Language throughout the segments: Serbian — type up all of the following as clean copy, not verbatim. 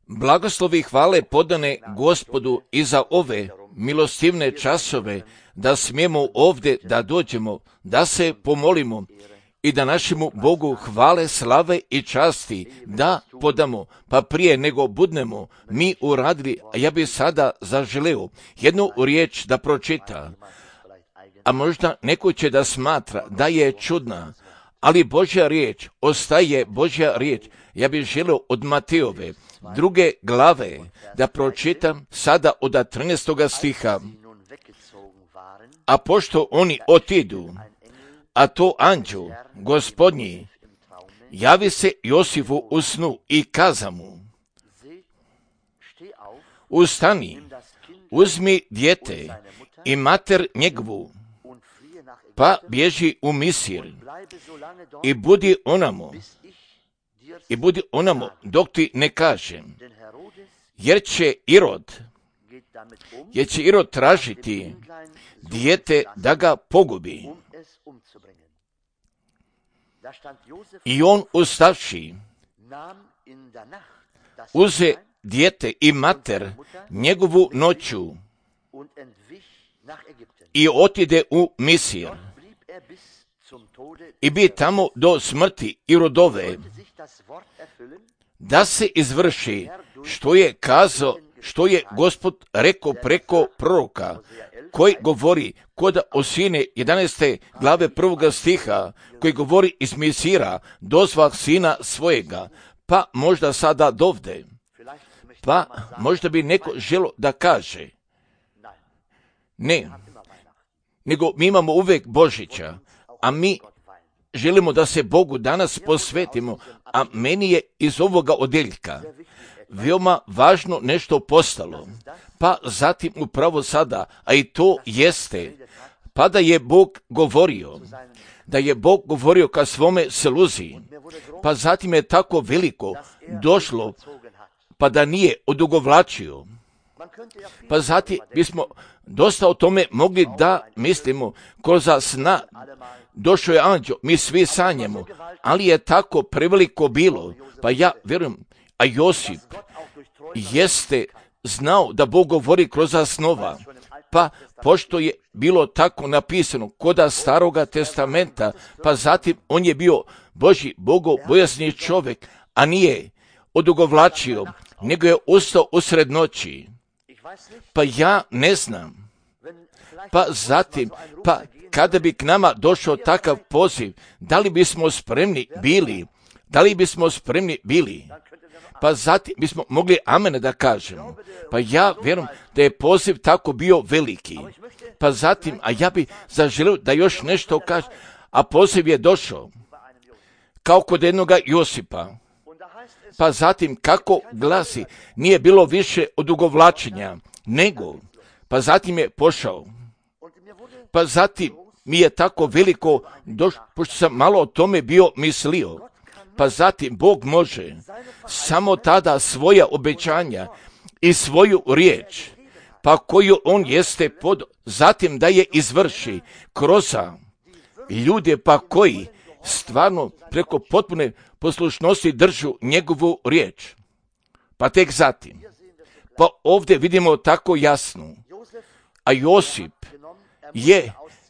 Blagoslovi i hvale podane Gospodu i za ove milostivne časove, da smijemo ovdje da dođemo, da se pomolimo i da našemu Bogu hvale, slave i časti da podamo. Pa prije nego budemo mi uradili, a ja bih sada zaželeo jednu riječ da pročita. A možda neko će da smatra da je čudna, ali Božja riječ ostaje Božja riječ. Ja bih želeo od Matejove 2. glave da pročitam sada od 13. stiha. A pošto oni otidu, a to anđel Gospodnji javi se Josifu u snu i kaza mu: ustani, uzmi dijete i mater njegovu, pa bježi u Misir i budi onamo dok ti ne kažem, jer će Irod tražiti dijete da ga pogubi. I on ustavši uze dijete i mater njegovu noću i otide u Misir i bi tamo do smrti Irodove, da se izvrši što je Gospod rekao preko proroka, koji govori kod Osine 11. glave 1. stiha, koji govori iz Misira dozvah sina svojega. Pa možda sada dovde, pa možda bi neko želo da kaže ne, nego mi imamo uvijek Božića, a mi želimo da se Bogu danas posvetimo, a meni je iz ovoga odjeljka veoma važno nešto postalo, pa zatim upravo sada, a i to jeste, pa da je Bog govorio ka svome sluzi, pa zatim je tako veliko došlo, pa da nije odugovlačio. Pa zatim bismo dosta o tome mogli da mislimo, kroz sna došao je anđel, mi svi sanjamo, ali je tako preveliko bilo, pa ja vjerujem, a Josip jeste znao da Bog govori kroz snova, pa pošto je bilo tako napisano kod Staroga testamenta, pa zatim on je bio Božji bogobojasni čovjek, a nije odugovlačio, nego je ustao usred noći. Pa ja ne znam, pa zatim, pa kada bi k nama došao takav poziv, da li bismo spremni bili? Pa zatim bismo mogli amen da kažemo. Pa ja vjerujem da je poziv tako bio veliki. Pa zatim, a ja bi zaželio da još nešto kažem, a poziv je došao kao kod jednoga Josipa. Pa zatim, kako glasi, nije bilo više odugovlačenja, nego, pa zatim je pošao. Pa zatim mi je tako veliko došlo, pošto sam malo o tome bio mislio. Pa zatim Bog može samo tada svoja obećanja i svoju riječ, pa koju on jeste zatim da je izvrši kroz ljude, pa koji stvarno preko potpune poslušnosti držu njegovu riječ. Pa tek zatim, pa ovdje vidimo tako jasno, a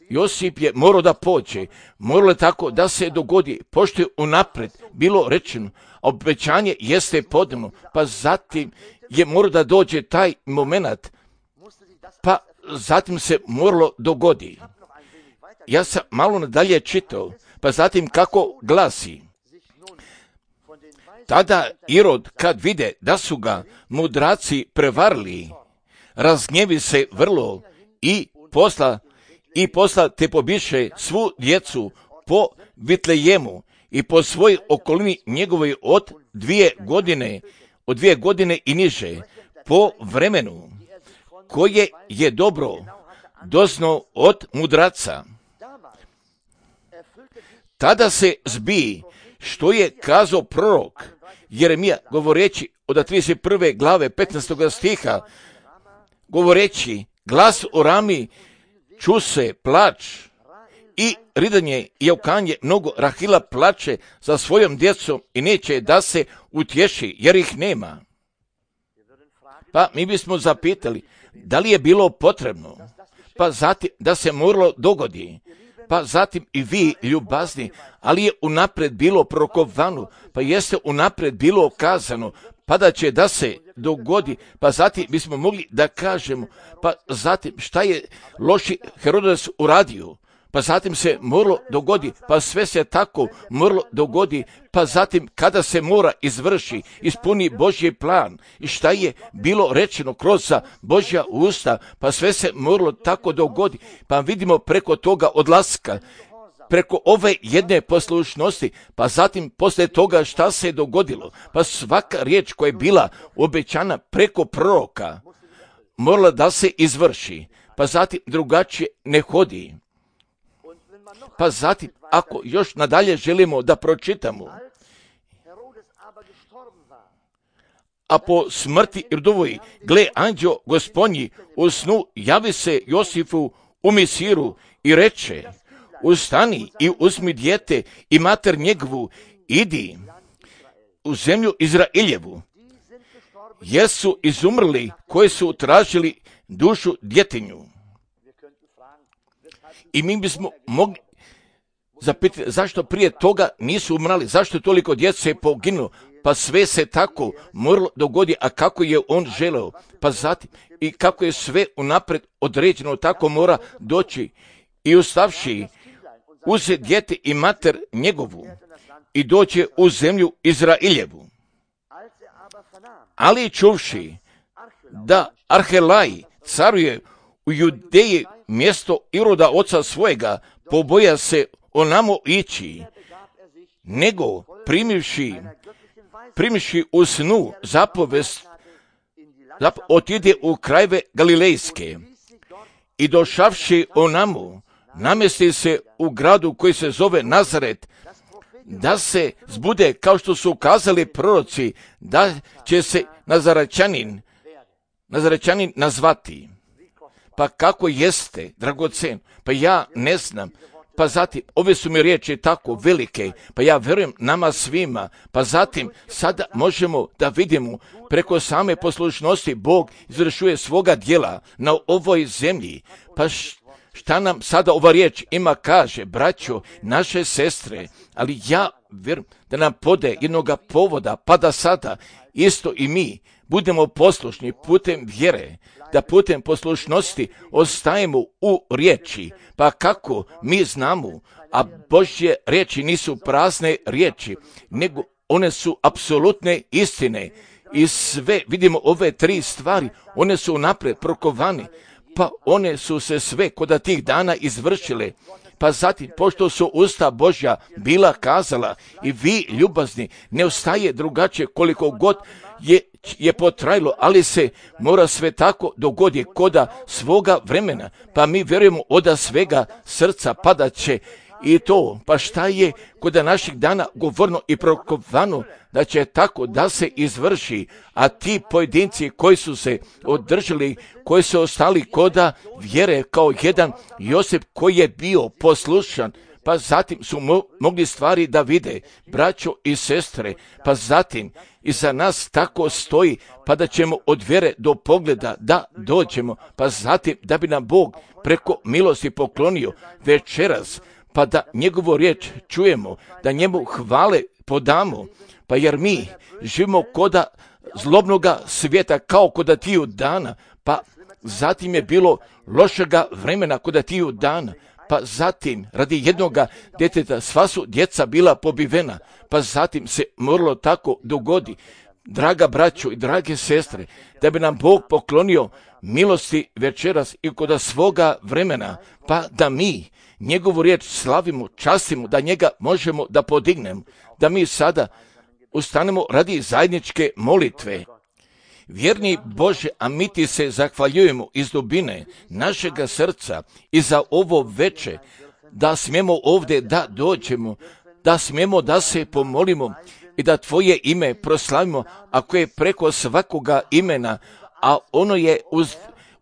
Josip je morao da pođe, moralo je tako da se dogodi, pošto je unapred bilo rečeno, a obećanje jeste podano, pa zatim je morao da dođe taj moment, pa zatim se moralo dogodi. Ja sam malo nadalje čitao, pa zatim kako glasi. Tada Irod, kad vide da su ga mudraci prevarili, razgnjevi se vrlo i posla te pobiše svu djecu po Vitlejemu i po svoj okolini njegovoj od 2 godine i niže, po vremenu koje je dobro doznao od mudraca. Tada se zbi što je kazao prorok Jeremija, govoreći od 31. glave 15. stiha, govoreći: glas u Rami, ču se plač i ridanje i jaukanje, mnogo Rahila plače za svojom djecom i neće da se utješi, jer ih nema. Pa mi bismo zapitali, da li je bilo potrebno? Pa zatim da se moralo dogodi. Pa zatim i vi, ljubazni, ali je unaprijed bilo prorokovano, pa jeste unaprijed bilo kazano, pa da će da se dogodi, pa zatim bismo mogli da kažemo, pa zatim šta je loši Herodes uradio, pa zatim se moralo dogodi, pa sve se tako moralo dogodi, pa zatim kada se mora izvrši, ispuni Božji plan i šta je bilo rečeno kroz Božja usta, pa sve se moralo tako dogodi, pa vidimo preko toga odlaska, preko ove jedne poslušnosti, pa zatim poslije toga šta se je dogodilo, pa svaka riječ koja je bila obećana preko proroka morala da se izvrši, pa zatim drugačije ne hodi. Pa zatim, ako još nadalje želimo da pročitamo, a po smrti Irdovoj, gle, anđeo Gospodnji u snu javi se Josifu u Misiru i reče, ustani i uzmi dijete i mater njegovu, idi u zemlju Izraeljevu, jer su izumrli koji su tražili dušu djetinju. I mi bismo mogli zapitati zašto prije toga nisu umrali, zašto toliko djece je poginulo, pa sve se tako moralo dogodi, a kako je on želeo, pa zatim i kako je sve unaprijed određeno, tako mora doći i ustavši uze dijete i mater njegovu i doće u zemlju Izraeljevu. Ali čuvši da Arhelaj caruje u Judeji mjesto Iroda oca svojega, poboja se onamo ići, nego primivši u snu zapovest, otide u krajeve Galilejske i došavši onamo, namjesti se u gradu koji se zove Nazaret, da se zbude kao što su kazali proroci, da će se Nazarečanin nazvati. Pa kako jeste, dragocen? Pa ja ne znam. Pa zatim, ove su mi riječi tako velike, pa ja vjerujem nama svima, pa zatim sada možemo da vidimo preko same poslušnosti Bog izvršuje svoga djela na ovoj zemlji. Pa šta nam sada ova riječ ima kaže, braćo, naše sestre, ali ja vjerujem da nam pode jednoga povoda, pa da sada isto i mi budemo poslušni putem vjere, da putem poslušnosti ostajemo u riječi, pa kako mi znamo, a Božje riječi nisu prazne riječi, nego one su apsolutne istine i sve, vidimo ove tri stvari, one su unaprijed prokovane, pa one su se sve kod tih dana izvršile. Pa zatim, pošto su usta Božja bila kazala i vi ljubazni, ne ostaje drugačije koliko god je potrajalo, ali se mora sve tako dogodi koda svoga vremena, pa mi vjerujemo oda svega srca padat će i to, pa šta je koda naših dana govorno i prokovano da će tako da se izvrši, a ti pojedinci koji su se održali, koji su ostali koda vjere kao jedan Josip koji je bio poslušan, pa zatim su mogli stvari da vide, braćo i sestre, pa zatim i za nas tako stoji, pa da ćemo od vjere do pogleda da dođemo, pa zatim da bi nam Bog preko milosti poklonio večeras, pa da njegovu riječ čujemo, da njemu hvale podamo, pa jer mi živimo koda zlobnoga svijeta kao koda tiju dana, pa zatim je bilo lošega vremena koda tiju dana, pa zatim radi jednoga djeteta sva su djeca bila pobivena, pa zatim se moralo tako dogodi, draga braćo i drage sestre, da bi nam Bog poklonio milosti večeras i koda svoga vremena, pa da mi njegovu riječ slavimo, častimo, da njega možemo da podignemo, da mi sada ustanemo radi zajedničke molitve. Vjerni Bože, a mi ti se zahvaljujemo iz dubine našega srca i za ovo veče, da smijemo ovdje da dođemo, da smijemo da se pomolimo i da tvoje ime proslavimo, ako je preko svakoga imena, a ono je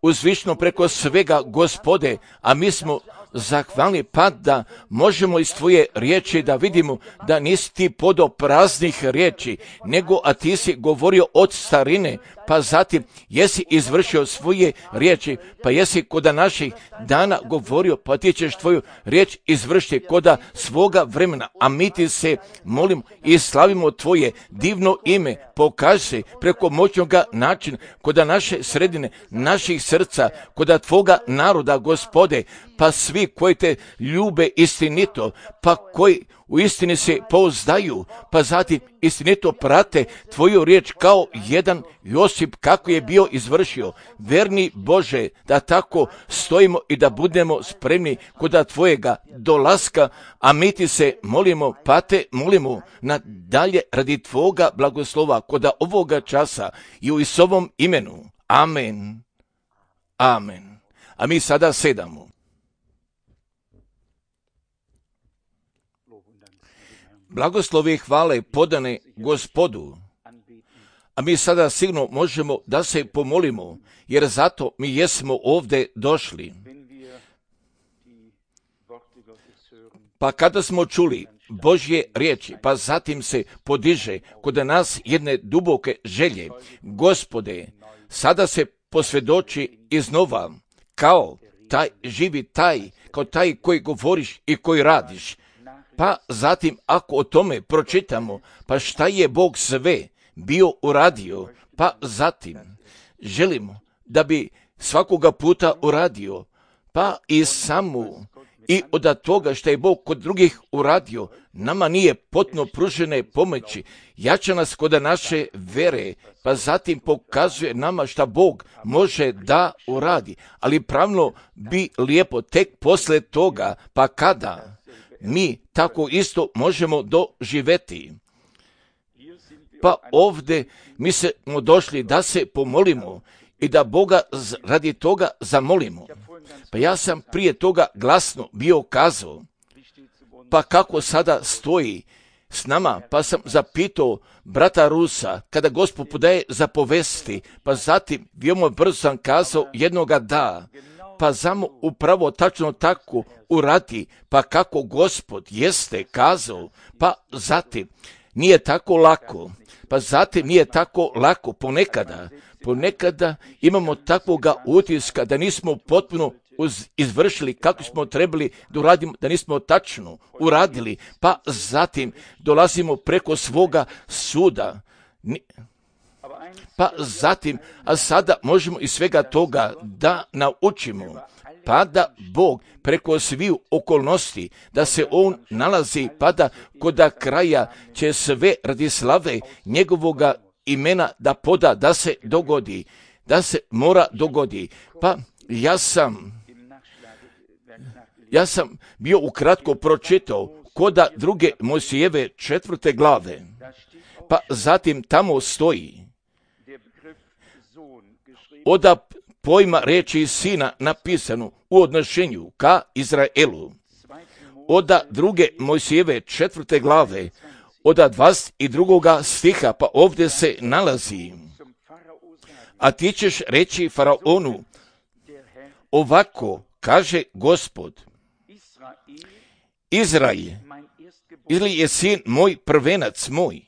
uzvišno preko svega Gospode, a mi smo zahvalni, pa da možemo iz tvoje riječi da vidimo da nisi ti podao praznih riječi, nego a ti si govorio od starine, pa zatim jesi izvršio svoje riječi, pa jesi koda naših dana govorio, pa ti ćeš tvoju riječ izvršiti koda svoga vremena, a mi ti se molimo i slavimo tvoje divno ime, pokaži se preko moćnoga načina koda naše sredine, naših srca, koda tvoga naroda, Gospode, pa svi koji te ljube istinito, pa koji u istini se pouzdaju, pa zatim istinito prate tvoju riječ kao jedan Josip kako je bio izvršio. Verni Bože, da tako stojimo i da budemo spremni koda tvojega dolaska, a mi ti se molimo, pa te molimo nadalje radi tvoga blagoslova koda ovoga časa i u Isovom imenu. Amen. Amen. A mi sada sedamo. Blagoslove i hvale podane Gospodu, a mi sada sigurno možemo da se pomolimo, jer zato mi jesmo ovdje došli. Pa kada smo čuli Božje riječi, pa zatim se podiže kod nas jedne duboke želje, Gospode, sada se posvjedoči iznova, kao taj živi taj, kao taj koji govoriš i koji radiš. Pa zatim ako o tome pročitamo, pa šta je Bog sve bio uradio, pa zatim želimo da bi svakoga puta uradio, pa i samu i od toga što je Bog kod drugih uradio, nama nije potpuno pružene pomoći, jača nas kod naše vere, pa zatim pokazuje nama šta Bog može da uradi, ali pravno bi lijepo tek posle toga, pa kada mi tako isto možemo doživjeti. Pa ovdje mi smo došli da se pomolimo i da Boga radi toga zamolimo. Pa ja sam prije toga glasno bio kazao, pa kako sada stoji s nama, pa sam zapitao brata Rusa, kada Gospod podaje zapovesti, pa zatim veoma brzo sam kazao jednoga da, pa zamo upravo tačno tako uradi, pa kako Gospod jeste kazao, pa zatim nije tako lako, pa zatim nije tako lako ponekada imamo takvoga utiska da nismo potpuno izvršili kako smo trebali da uradimo, da nismo tačno uradili, pa zatim dolazimo preko svoga suda. Pa zatim, a sada možemo iz svega toga da naučimo, pa da Bog preko sviju okolnosti, da se On nalazi, pa da koda kraja će sve radi slave njegovoga imena da poda, da se dogodi, da se mora dogodi. Pa ja sam bio ukratko pročitao koda druge Mojsijeve 4. glave, pa zatim tamo stoji oda pojma riječi sina napisanu u odnošenju ka Izraelu. Oda druge Mojsijeve 4. glave, oda 22. stiha, pa ovdje se nalazi: a ti ćeš reći faraonu, ovako kaže Gospod, Izrael, ili je sin moj prvenac moj,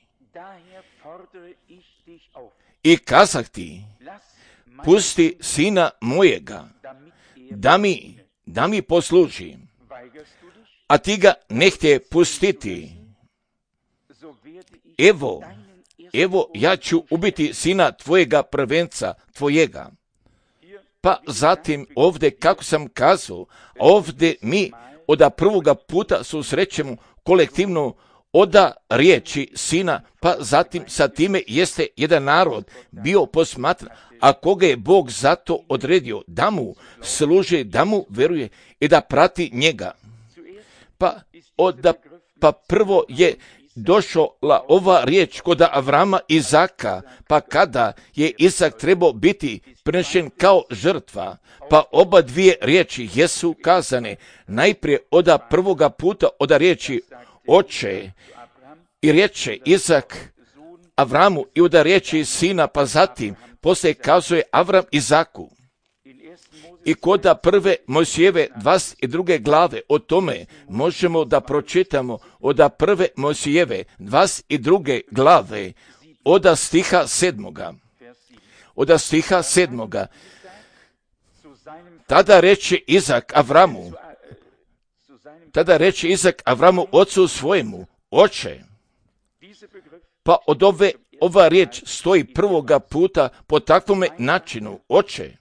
i kazah ti, pusti sina mojega, da mi posluži, a ti ga ne htje pustiti. Evo, ja ću ubiti sina tvojega prvenca tvojega. Pa zatim ovdje, kako sam kazao, ovdje mi od prvoga puta susrećemo kolektivno oda riječi sina, pa zatim sa time jeste jedan narod bio posmatran, a koga je Bog zato odredio da mu služi, da mu veruje i da prati njega. Pa prvo je došla ova riječ kod Avrama i Izaka, pa kada je Izak trebao biti prinešen kao žrtva, pa oba dvije riječi jesu kazane, najprije oda prvoga puta oda riječi oče, i riječe Izak Avramu i oda riječi sina, pa zatim poslije kazuje Avram Izaku. I koda prve Mojsijeve 22. glave, o tome možemo da pročitamo od prve Mojsijeve 22. glave, od stiha 7. Od stiha 7. Tada reče Izak Avramu, ocu svojemu, oče. Pa od ova riječ stoji prvoga puta po takvome načinu, oče.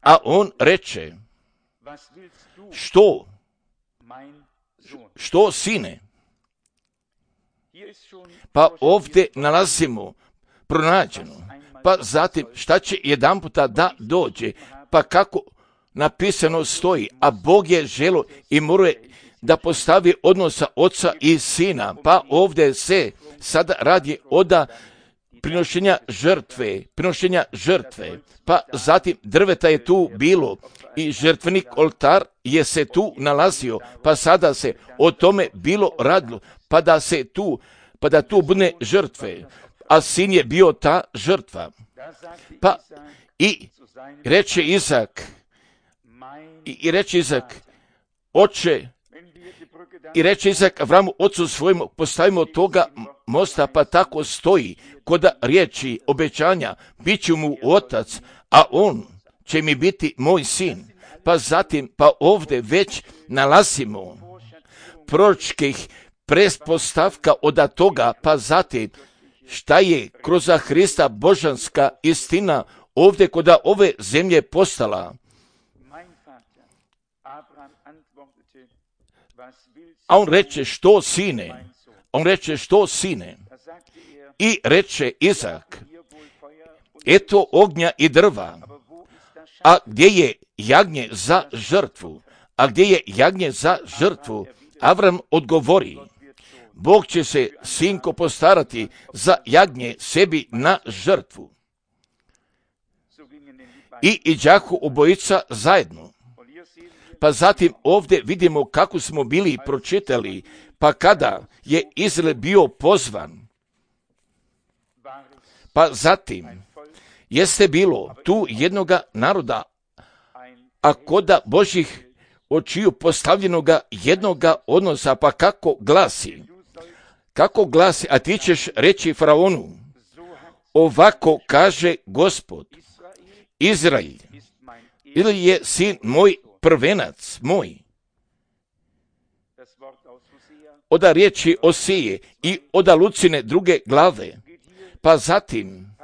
A on reče, što sine? Pa ovdje nalazimo pronađeno. Pa zatim šta će jedan puta da dođe? Pa kako napisano stoji, a Bog je želo i morao da postavi odnosa oca i sina. Pa ovdje se sada radi od prinošenja žrtve. Pa zatim drveta je tu bilo i žrtvenik oltar je se tu nalazio. Pa sada se o tome bilo radilo, pa da tu bude žrtve. A sin je bio ta žrtva. Pa i reče Izak, oče, i reče Izak Avramu, ocu svojemu, postavimo toga mosta, pa tako stoji, kod riječi obećanja, bit ću mu otac, a on će mi biti moj sin. Pa zatim, pa ovdje već nalazimo proročkih pretpostavka od toga, pa zatim, šta je kroz Hrista božanska istina ovdje kod ove zemlje postala. A on reče, što sine? I reče Izak, eto ognja i drva, a gdje je jagnje za žrtvu? Avram odgovori, Bog će se, sinko, postarati za jagnje sebi na žrtvu. I iđahu obojica zajedno. Pa zatim ovdje vidimo kako smo bili pročitali, pa kada je Izrael bio pozvan, pa zatim jeste bilo tu jednoga naroda, a koda Božih očiju postavljenoga jednoga odnosa, pa kako glasi, a ti ćeš reći faraonu, ovako kaže Gospod, Izrael, ili je sin moj prvenac moj. Oda riječi Osije i oda Lucine 2. glave, pa zatim,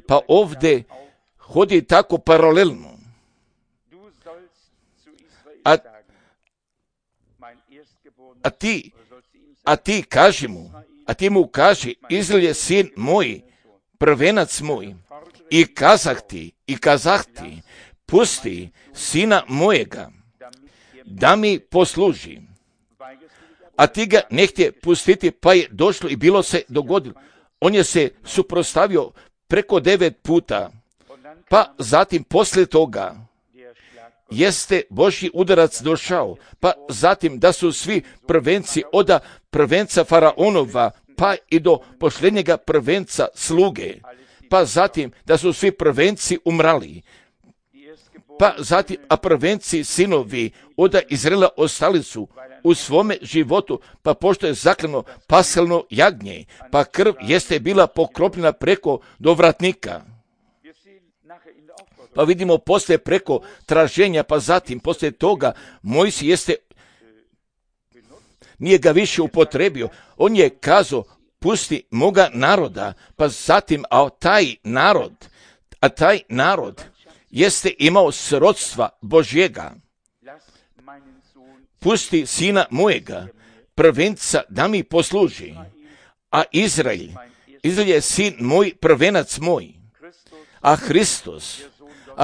pa ovdje hodi tako paralelno. A ti mu kaži, Izrael je sin moj, prvenac moj, i kazah ti, pusti sina mojega, da mi posluži. A ti ga ne htje pustiti, pa je došlo i bilo se dogodilo. On je se suprotstavio preko 9 puta, pa zatim poslije toga jeste Božji udarac došao, pa zatim da su svi prvenci od prvenca faraonova, pa i do posljednjega prvenca sluge, pa zatim da su svi prvenci umrali, pa zatim, a prvenci sinovi od Izraela ostali su u svome životu, pa pošto je zaklano paschalno jagnje, pa krv jeste bila pokropljena preko dovratnika. Pa vidimo poslije preko traženja, pa zatim poslije toga Mojsije jeste, nije ga više upotrebio, on je kazao, pusti moga naroda, pa zatim, a taj narod jeste imao srodstva Božjega. Pusti sina mojega, prvenca, da mi posluži, a Izrael je sin moj, prvenac moj, a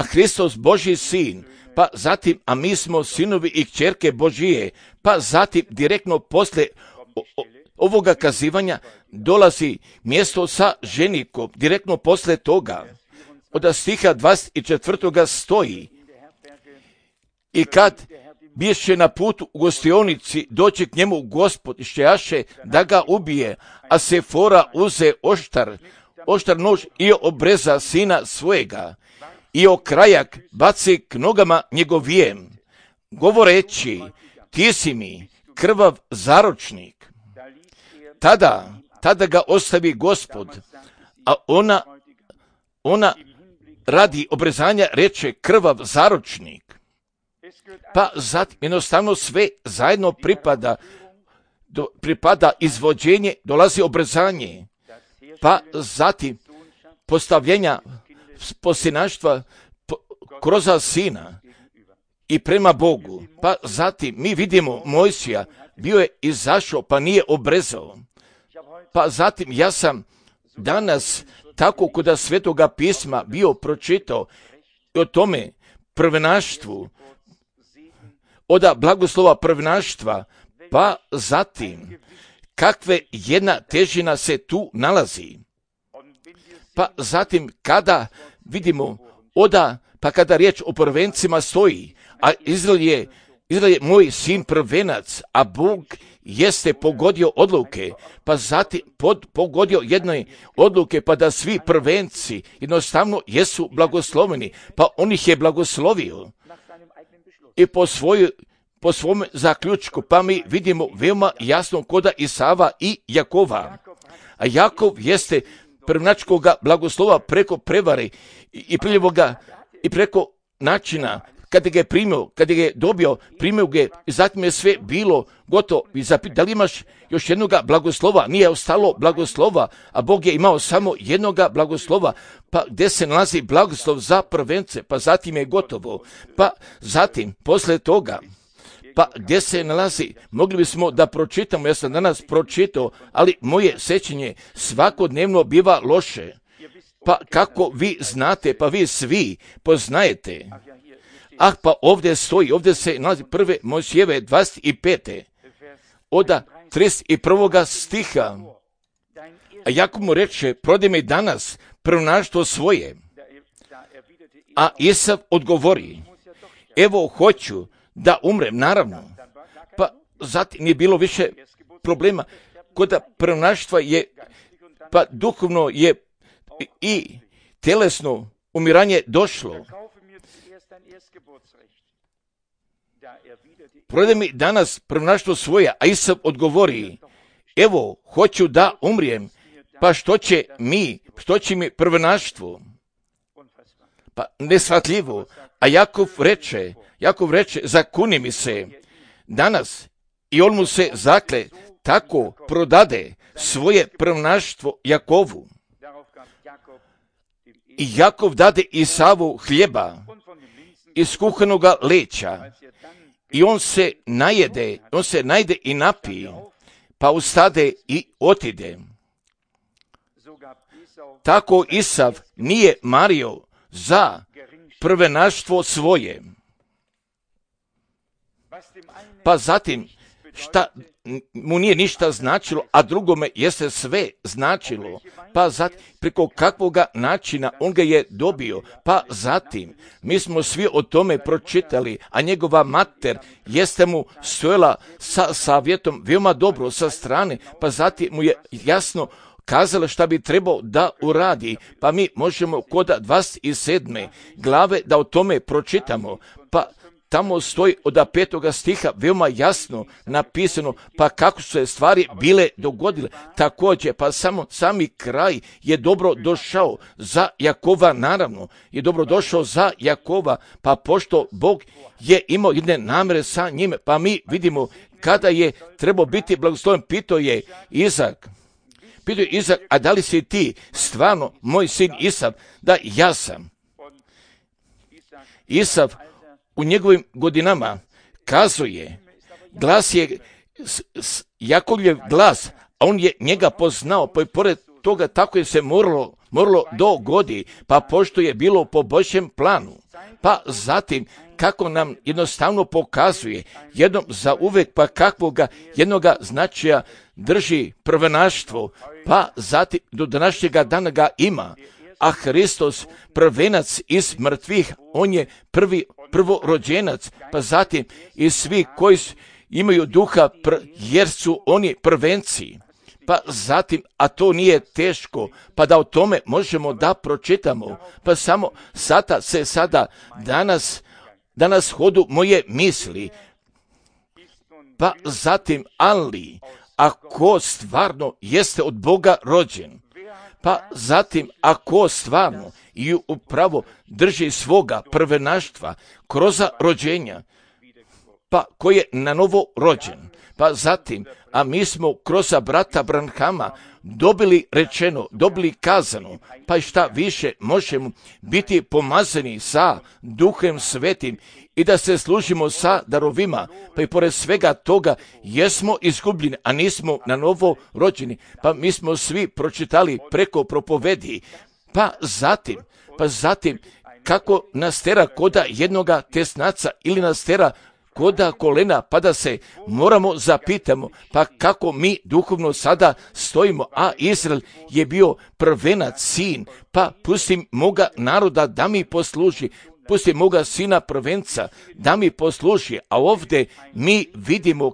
Hristos Božji sin, pa zatim, a mi smo sinovi i kćerke Božije, pa zatim direktno poslije ovoga kazivanja dolazi mjesto sa ženikom, direktno poslije toga. Od stiha 24. stoji, i kad biješe na putu u gostionici, doći k njemu Gospod išćejaše da ga ubije, a Sefora uze oštar nož i obreza sina svojega i okrajak baci k nogama njegovijem, govoreći, ti si mi krvav zaročnik. Tada ga ostavi Gospod, a ona radi obrezanja reče krvav zaročnik. Pa zatim jednostavno sve zajedno pripada izvođenje, dolazi obrezanje, pa zatim postavljenja posinaštva kroz sina i prema Bogu. Pa zatim mi vidimo Mojsija, bio je izašao pa nije obrezao. Pa zatim ja sam danas tako kod Svetoga pisma bio pročitao o tome prvenaštvu, od blagoslova prvenaštva, pa zatim kakve jedna težina se tu nalazi. Pa zatim kada vidimo pa kada riječ o prvencima stoji, a Izrael je moj sin prvenac, a Bog jeste pogodio odluke, pa zatim pogodio jednoj odluke, pa da svi prvenci jednostavno jesu blagosloveni, pa on ih je blagoslovio i po svom zaključku, pa mi vidimo veoma jasno koda Isava i Jakova. A Jakov jeste prvenačkoga blagoslova preko prevare i priljevoga i preko načina kada ga je primio, kada ga je dobio, primio ga i zatim je sve bilo gotovo. I zapita, da li imaš još jednoga blagoslova? Nije ostalo blagoslova, a Bog je imao samo jednoga blagoslova. Pa gdje se nalazi blagoslov za prvence? Pa zatim je gotovo. Pa zatim, posle toga, pa gdje se nalazi? Mogli bismo da pročitamo, ja sam danas pročitao, ali moje sećanje svakodnevno biva loše. Pa kako vi znate, pa vi svi poznajete. Pa ovdje stoji, ovdje se nalazi 1. Mojsijeve 25. od 31. stiha. A Jakov mu reče, prodaj mi danas prvenaštvo svoje. A Isav odgovori, evo hoću da umrem, naravno. Pa zatim nije bilo više problema. Kod prvenaštva je, pa duhovno je i telesno umiranje došlo. Prodaj mi danas prvenaštvo svoje, a Isav odgovori, evo, hoću da umrijem, pa što će mi prvenaštvo? Pa neshvatljivo. A Jakov reče, zakuni mi se danas, i on mu se zakle, tako prodade svoje prvenaštvo Jakovu. I Jakov dade Isavu hljeba iz kuhanoga leća, i on se najde i napije, pa ustade i otide. Tako Isav nije mario za prvenaštvo svoje. Pa zatim, šta mu nije ništa značilo, a drugome jeste sve značilo. Pa zatim, preko kakvoga načina on ga je dobio. Pa zatim, mi smo svi o tome pročitali, a njegova mater jeste mu stojala sa savjetom veoma dobro sa strane, pa zatim mu je jasno kazala šta bi trebao da uradi. Pa mi možemo kod 27. glave da o tome pročitamo. Pa tamo stoji od 5. stiha veoma jasno napisano, pa kako su se stvari bile dogodile. Također, pa sami kraj je dobro došao za Jakova, naravno, je dobro došao za Jakova, pa pošto Bog je imao jedne namere sa njime, pa mi vidimo kada je trebao biti blagosloven, pitao je Izak, a da li si ti stvarno moj sin Isav? Da, ja sam. Isav u njegovim godinama kazuje, glas je Jakovljev glas, a on je njega poznao, pa i pored toga tako je se moralo dogodi, pa pošto je bilo po Božjem planu. Pa zatim, kako nam jednostavno pokazuje, jednom za uvek, pa kakvoga jednoga značaja drži prvenaštvo, pa zatim do današnjega dana ga ima, a Hristos prvenac iz mrtvih, on je prvorođenac, pa zatim i svi koji imaju duha, jer su oni prvenci. pa zatim, a to nije teško, pa da o tome možemo da pročitamo, pa samo sada danas hodu moje misli, pa zatim, ali, ako stvarno jeste od Boga rođen, pa zatim, ako stvarno i upravo drži svoga prvenaštva kroz rođenja, pa koji je na novo rođen, pa zatim, a mi smo kroz brata Branhama dobili rečeno, dobili kazano, pa i šta više možemo biti pomazani sa Duhem Svetim i da se služimo sa darovima, pa i pored svega toga jesmo izgubljeni, a nismo na novo rođeni, pa mi smo svi pročitali preko propovedi, pa zatim kako nas tera koda jednoga tesnaca ili nas tera koda kolena, pa da se moramo zapitamo, pa kako mi duhovno sada stojimo, a Izrael je bio prvenac sin, pa pusti moga naroda da mi posluži, pusti moga sina prvenca da mi posluži, a ovdje mi vidimo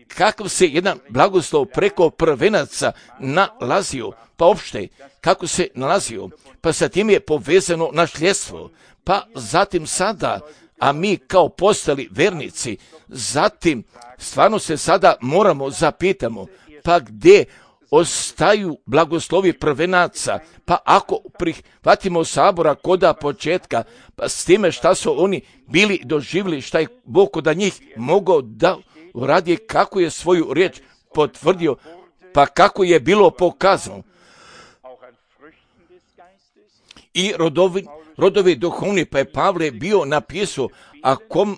kakav se jedan blagoslov preko prvenaca nalazio, pa opšte kako se nalazio, pa sa tim je povezano nasljedstvo, pa zatim sada, a mi kao postali vernici, zatim stvarno se sada moramo zapitamo, pa gdje ostaju blagoslovi prvenaca, pa ako prihvatimo sabora koda početka, pa s time šta su oni bili doživjeli, šta je Bog da njih mogao da uradi, kako je svoju riječ potvrdio, pa kako je bilo pokazano. I rodovi duhovni, pa je Pavle bio napisao, a ko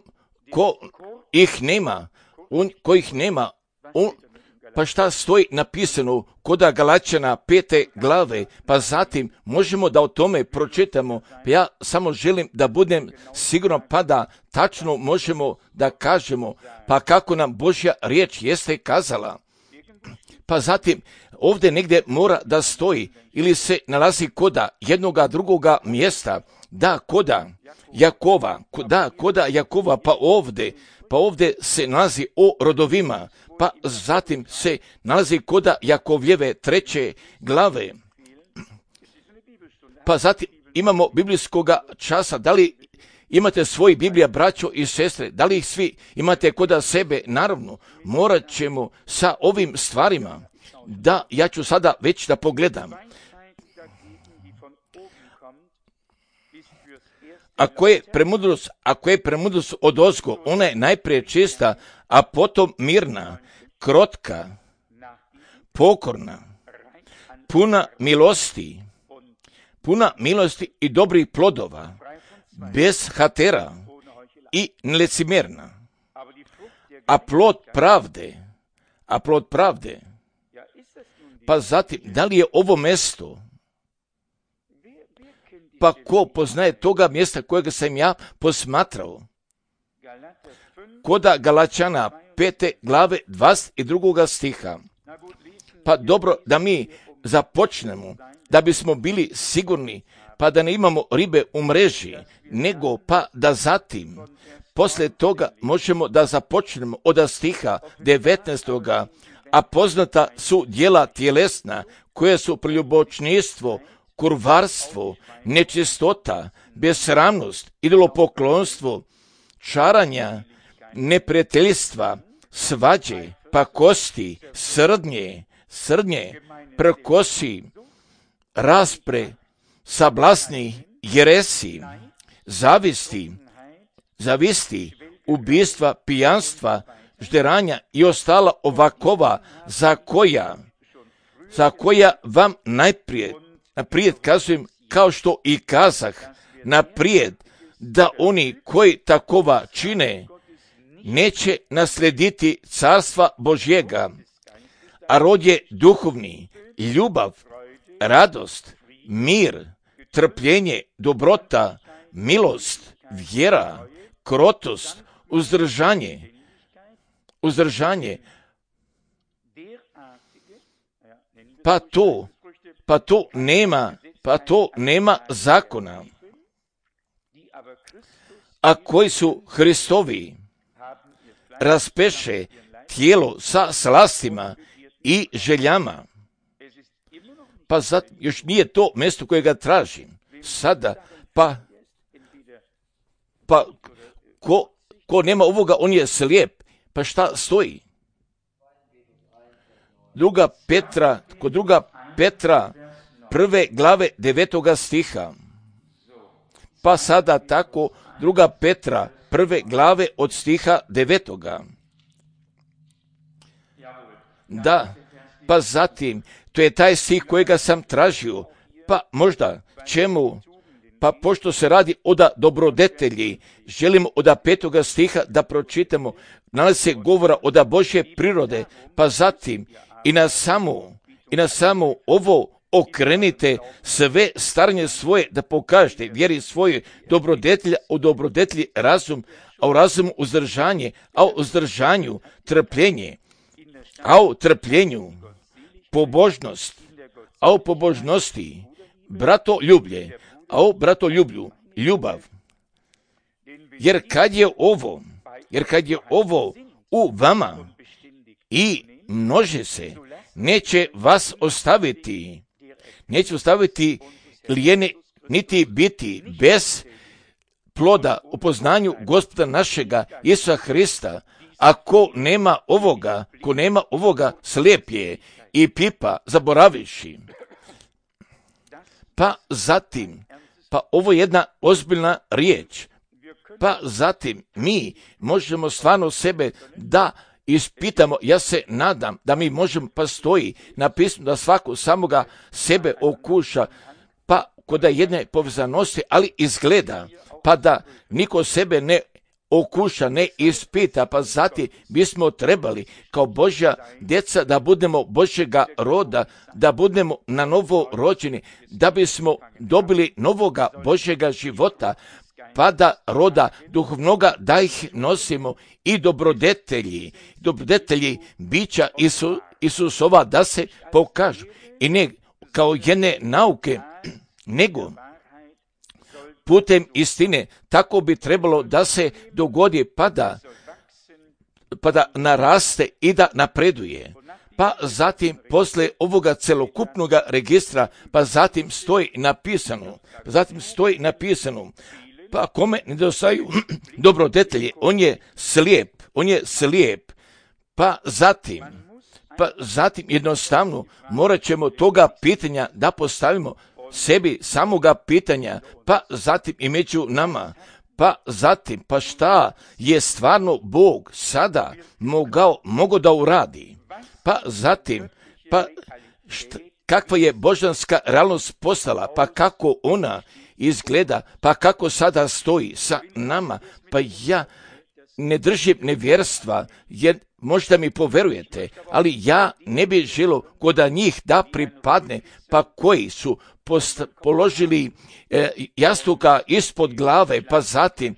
ih nema, pa šta stoji napisano koda Galačana 5. glave, pa zatim možemo da o tome pročitamo, pa ja samo želim da budem siguran, pa da tačno možemo da kažemo, pa kako nam Božja riječ jeste kazala. Pa zatim ovdje negdje mora da stoji ili se nalazi koda jednoga drugoga mjesta, da koda Jakova, pa ovdje se nalazi o rodovima, pa zatim se nalazi koda Jakovljeve 3. glave. Pa zatim imamo biblijskoga časa, da li imate svoji Biblija, braćo i sestre, da li ih svi imate koda sebe? Naravno, morat ćemo sa ovim stvarima, da ja ću sada već da pogledam. Ako je premudrost od ozgo, ona je najprije čista, a potom mirna, krotka, pokorna, puna milosti i dobrih plodova, bez hatera i nelicimerna, a plod pravde, pa zatim, da li je ovo mjesto? Pa ko poznaje toga mjesta kojega sam ja posmatrao? Koda Galačana 5. glave 22. stiha. Pa dobro da mi započnemo, da bismo bili sigurni, pa da ne imamo ribe u mreži, nego pa da zatim, poslije toga možemo da započnemo od stiha 19. A poznata su djela tjelesna, koje su preljubočništvo, kurvarstvo, nečistota, besramnost, idolopoklonstvo, čaranja, neprijateljstva, svađe, pakosti, srdnje, prkosi, raspre, sablasni, jeresi, zavisti, ubistva, pijanstva, žderanja i ostala ovakova za koja vam naprijed kazujem, kao što i kazah naprijed, da oni koji takova čine neće naslediti carstva Božjega, a rod je duhovni, ljubav, radost, mir, trpljenje, dobrota, milost, vjera, krotost, uzdržanje, pa to nema zakona. A koji su Hristovi, raspeše tijelo sa slastima i željama. Pa zato još nije to mjesto kojega tražim. Sada, pa ko nema ovoga, on je slijep. Pa šta stoji? Kod druga Petra 1. glave 9. stiha. Pa sada tako, 2. Petra 1. glave od stiha 9. Da, pa zatim, to je taj stih kojega sam tražio. Pa možda, čemu? Pa pošto se radi o dobrodetelji, želimo od 5. stiha da pročitamo, nalazi se govora od Božje prirode, pa zatim i na samo ovo okrenite sve staranje svoje da pokažete vjeri svoje dobrodetelja, u dobrodetelji razum, a u razumu uzdržanje, a u uzdržanju trpljenje, a u trpljenju pobožnost, a u pobožnosti bratoljublje, a u bratoljublju ljubav. Jer kad je ovo u vama i množe se, neće vas ostaviti lijene, niti biti bez ploda u poznanju Gospoda našega Isusa Hrista. A ko nema ovoga, slijep je i pipa zaboravivši. Pa zatim, ovo je jedna ozbiljna riječ. Pa zatim mi možemo stvarno sebe da ispitamo. Ja se nadam da mi možemo, pa stoji napisano da svako samoga sebe okuša, pa kod jedne povezanosti, ali izgleda, pa da niko sebe ne okuša, ne ispita, pa zatim bismo trebali kao Božja djeca da budemo Božjega roda, da budemo na novo rođeni, da bismo dobili novoga Božjega života, pa da roda duhovnoga da ih nosimo i dobrodetelji bića Isusova da se pokažu. I ne kao jedne nauke, nego putem istine. Tako bi trebalo da se dogodi, pa da naraste i da napreduje. Pa zatim poslije ovoga celokupnoga registra, pa zatim stoji napisano, pa kome nedostaju dobrodetelji, on je slijep. Pa zatim jednostavno morat ćemo toga pitanja da postavimo sebi samoga pitanja, pa zatim i među nama, pa zatim, pa šta je stvarno Bog sada mogao da uradi, pa zatim, kakva je božanska realnost postala, pa kako ona izgleda, pa kako sada stoji sa nama, pa ja ne držim nevjerstva, jer možda mi poverujete, ali ja ne bih želio kod njih da pripadne, pa koji su položili jastuka ispod glave, pa zatim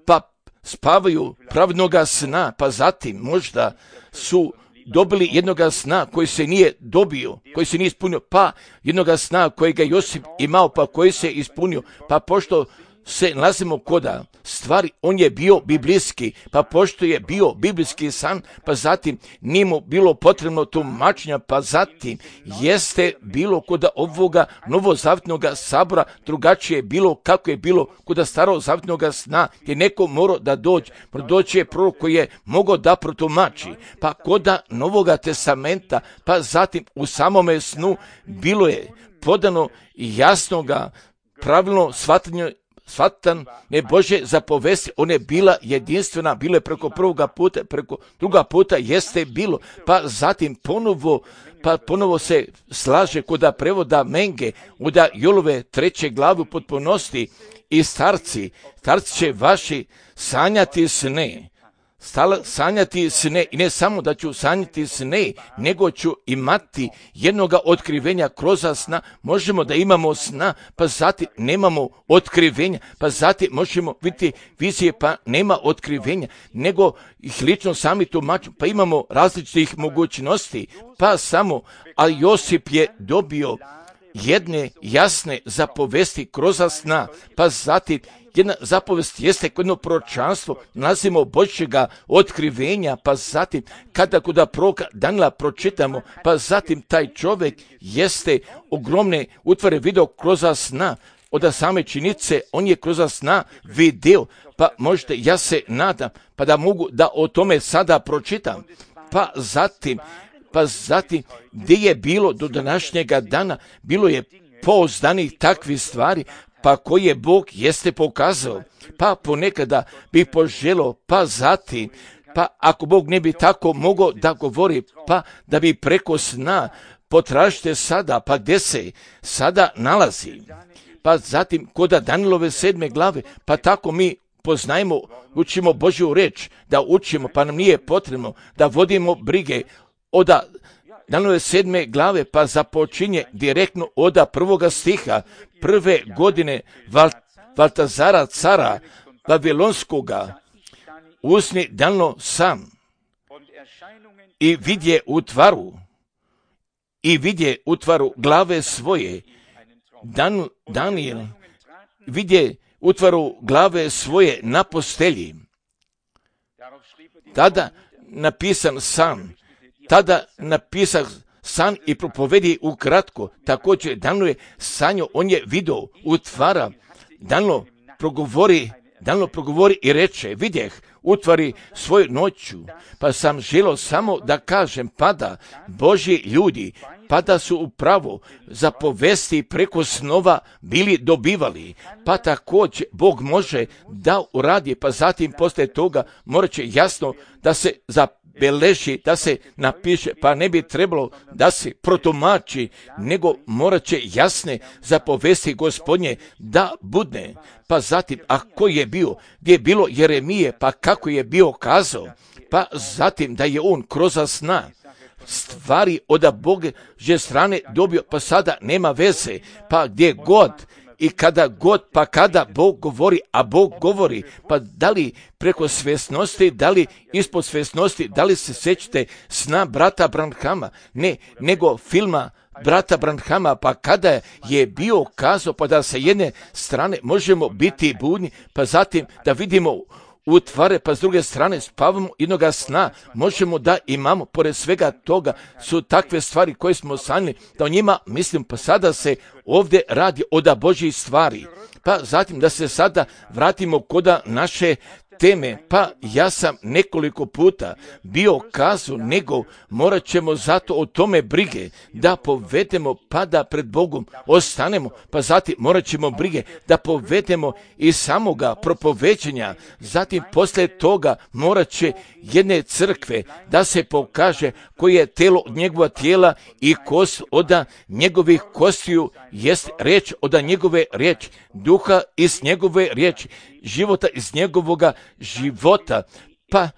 pa spavaju pravednoga sna, pa zatim možda su dobili jednoga sna koji se nije dobio, koji se nije ispunio, pa jednoga sna kojega Josip imao, pa koji se ispunio, pa pošto se nalazimo koda stvari, on je bio biblijski, pa pošto je bio biblijski san, pa zatim nije mu bilo potrebno tumačenja, pa zatim jeste bilo koda ovoga novozavjetnoga sabora drugačije bilo kako je bilo koda starozavjetnoga sna, gdje neko morao da doći je prorok koji je mogao da protumači, pa koda Novoga testamenta, pa zatim u samome snu bilo je podano jasnoga pravilno shvatanje Bože zapovesti, ona je bila jedinstvena, bilo je preko prvoga puta, preko druga puta jeste bilo, pa zatim ponovo se slaže koda prevoda Menge, uda Jolove 3. glavu potpunosti i starci će vaši sanjati sne. Sanjati sne, i ne samo da ću sanjati sne, nego ću imati jednoga otkrivenja kroz sna. Možemo da imamo sna, pa zatim nemamo otkrivenja, pa zatim možemo vidjeti vizije, pa nema otkrivenja, nego ih lično sami tumačimo, pa imamo različitih mogućnosti, pa samo, ali Josip je dobio jedne jasne zapovesti kroz sna, pa zatim jedna zapovest jeste jedno proročanstvo, nalazimo Božjega otkrivenja, pa zatim kada kod proroka Danila pročitamo, pa zatim taj čovjek jeste ogromne utvare video kroz sna, od same činjenice on je kroz sna video, pa možete, ja se nadam, pa da mogu da o tome sada pročitam, pa zatim gdje je bilo do današnjega dana, bilo je pouzdanih takvih stvari, pa koje Bog jeste pokazao, pa ponekada bi poželio, pa zatim, pa ako Bog ne bi tako mogao da govori, pa da bi preko sna potražite sada, pa gdje se sada nalazi, pa zatim kod Danilove 7. glave, pa tako mi poznajemo, učimo Božju reč, da učimo, pa nam nije potrebno da vodimo brige od Danilove 7. glave, pa započinje direktno od 1. stiha, 1. godine Valtazara cara Babilonskoga, usni Danilo sam i vidje u tvaru glave svoje. Danijel vidje u tvaru glave svoje na postelji. Tada napisan san i propovedi ukratko. Također Danilo je sanjao, on je video u tvara. Danilo progovori i reče, vidjeh utvari svoju noću, pa sam želio samo da kažem, pada Božji ljudi, pada su upravo zapovesti preko snova bili dobivali, pa također Bog može da uradi, pa zatim poslije toga morat će jasno da se zabeleži, da se napiše, pa ne bi trebalo da se protumači, nego morat će jasne zapovesti Gospodnje da budne. Pa zatim, ako je bio, gdje je bilo Jeremije, pa kako je bio kazao, pa zatim da je on kroz sna stvari od Božje strane dobio, pa sada nema veze, pa gdje god i kada god, pa kada Bog govori, a Bog govori, pa da li preko svjesnosti, da li ispod svjesnosti, da li se sjećate sna brata Branhama, ne, nego filma brata Branhama, pa kada je bio kazao, pa da sa jedne strane možemo biti budni, pa zatim da vidimo u tvare, pa s druge strane spavamo jednoga sna, možemo da imamo, pored svega toga su takve stvari koje smo sanjali, da o njima mislim, pa sada se ovdje radi od Božjih stvari. Pa zatim da se sada vratimo kod naše teme, pa ja sam nekoliko puta bio kazao, nego morat ćemo zato o tome brige da povedemo, pa da pred Bogom ostanemo, pa zatim morat ćemo brige da povedemo i samoga propoveđenja, zatim poslije toga morat će jedne crkve da se pokaže koje je telo od njegova tijela i kost od njegovih kostiju, jest riječ od njegove riječi, duha iz njegove riječi, života iz njegovoga života, pa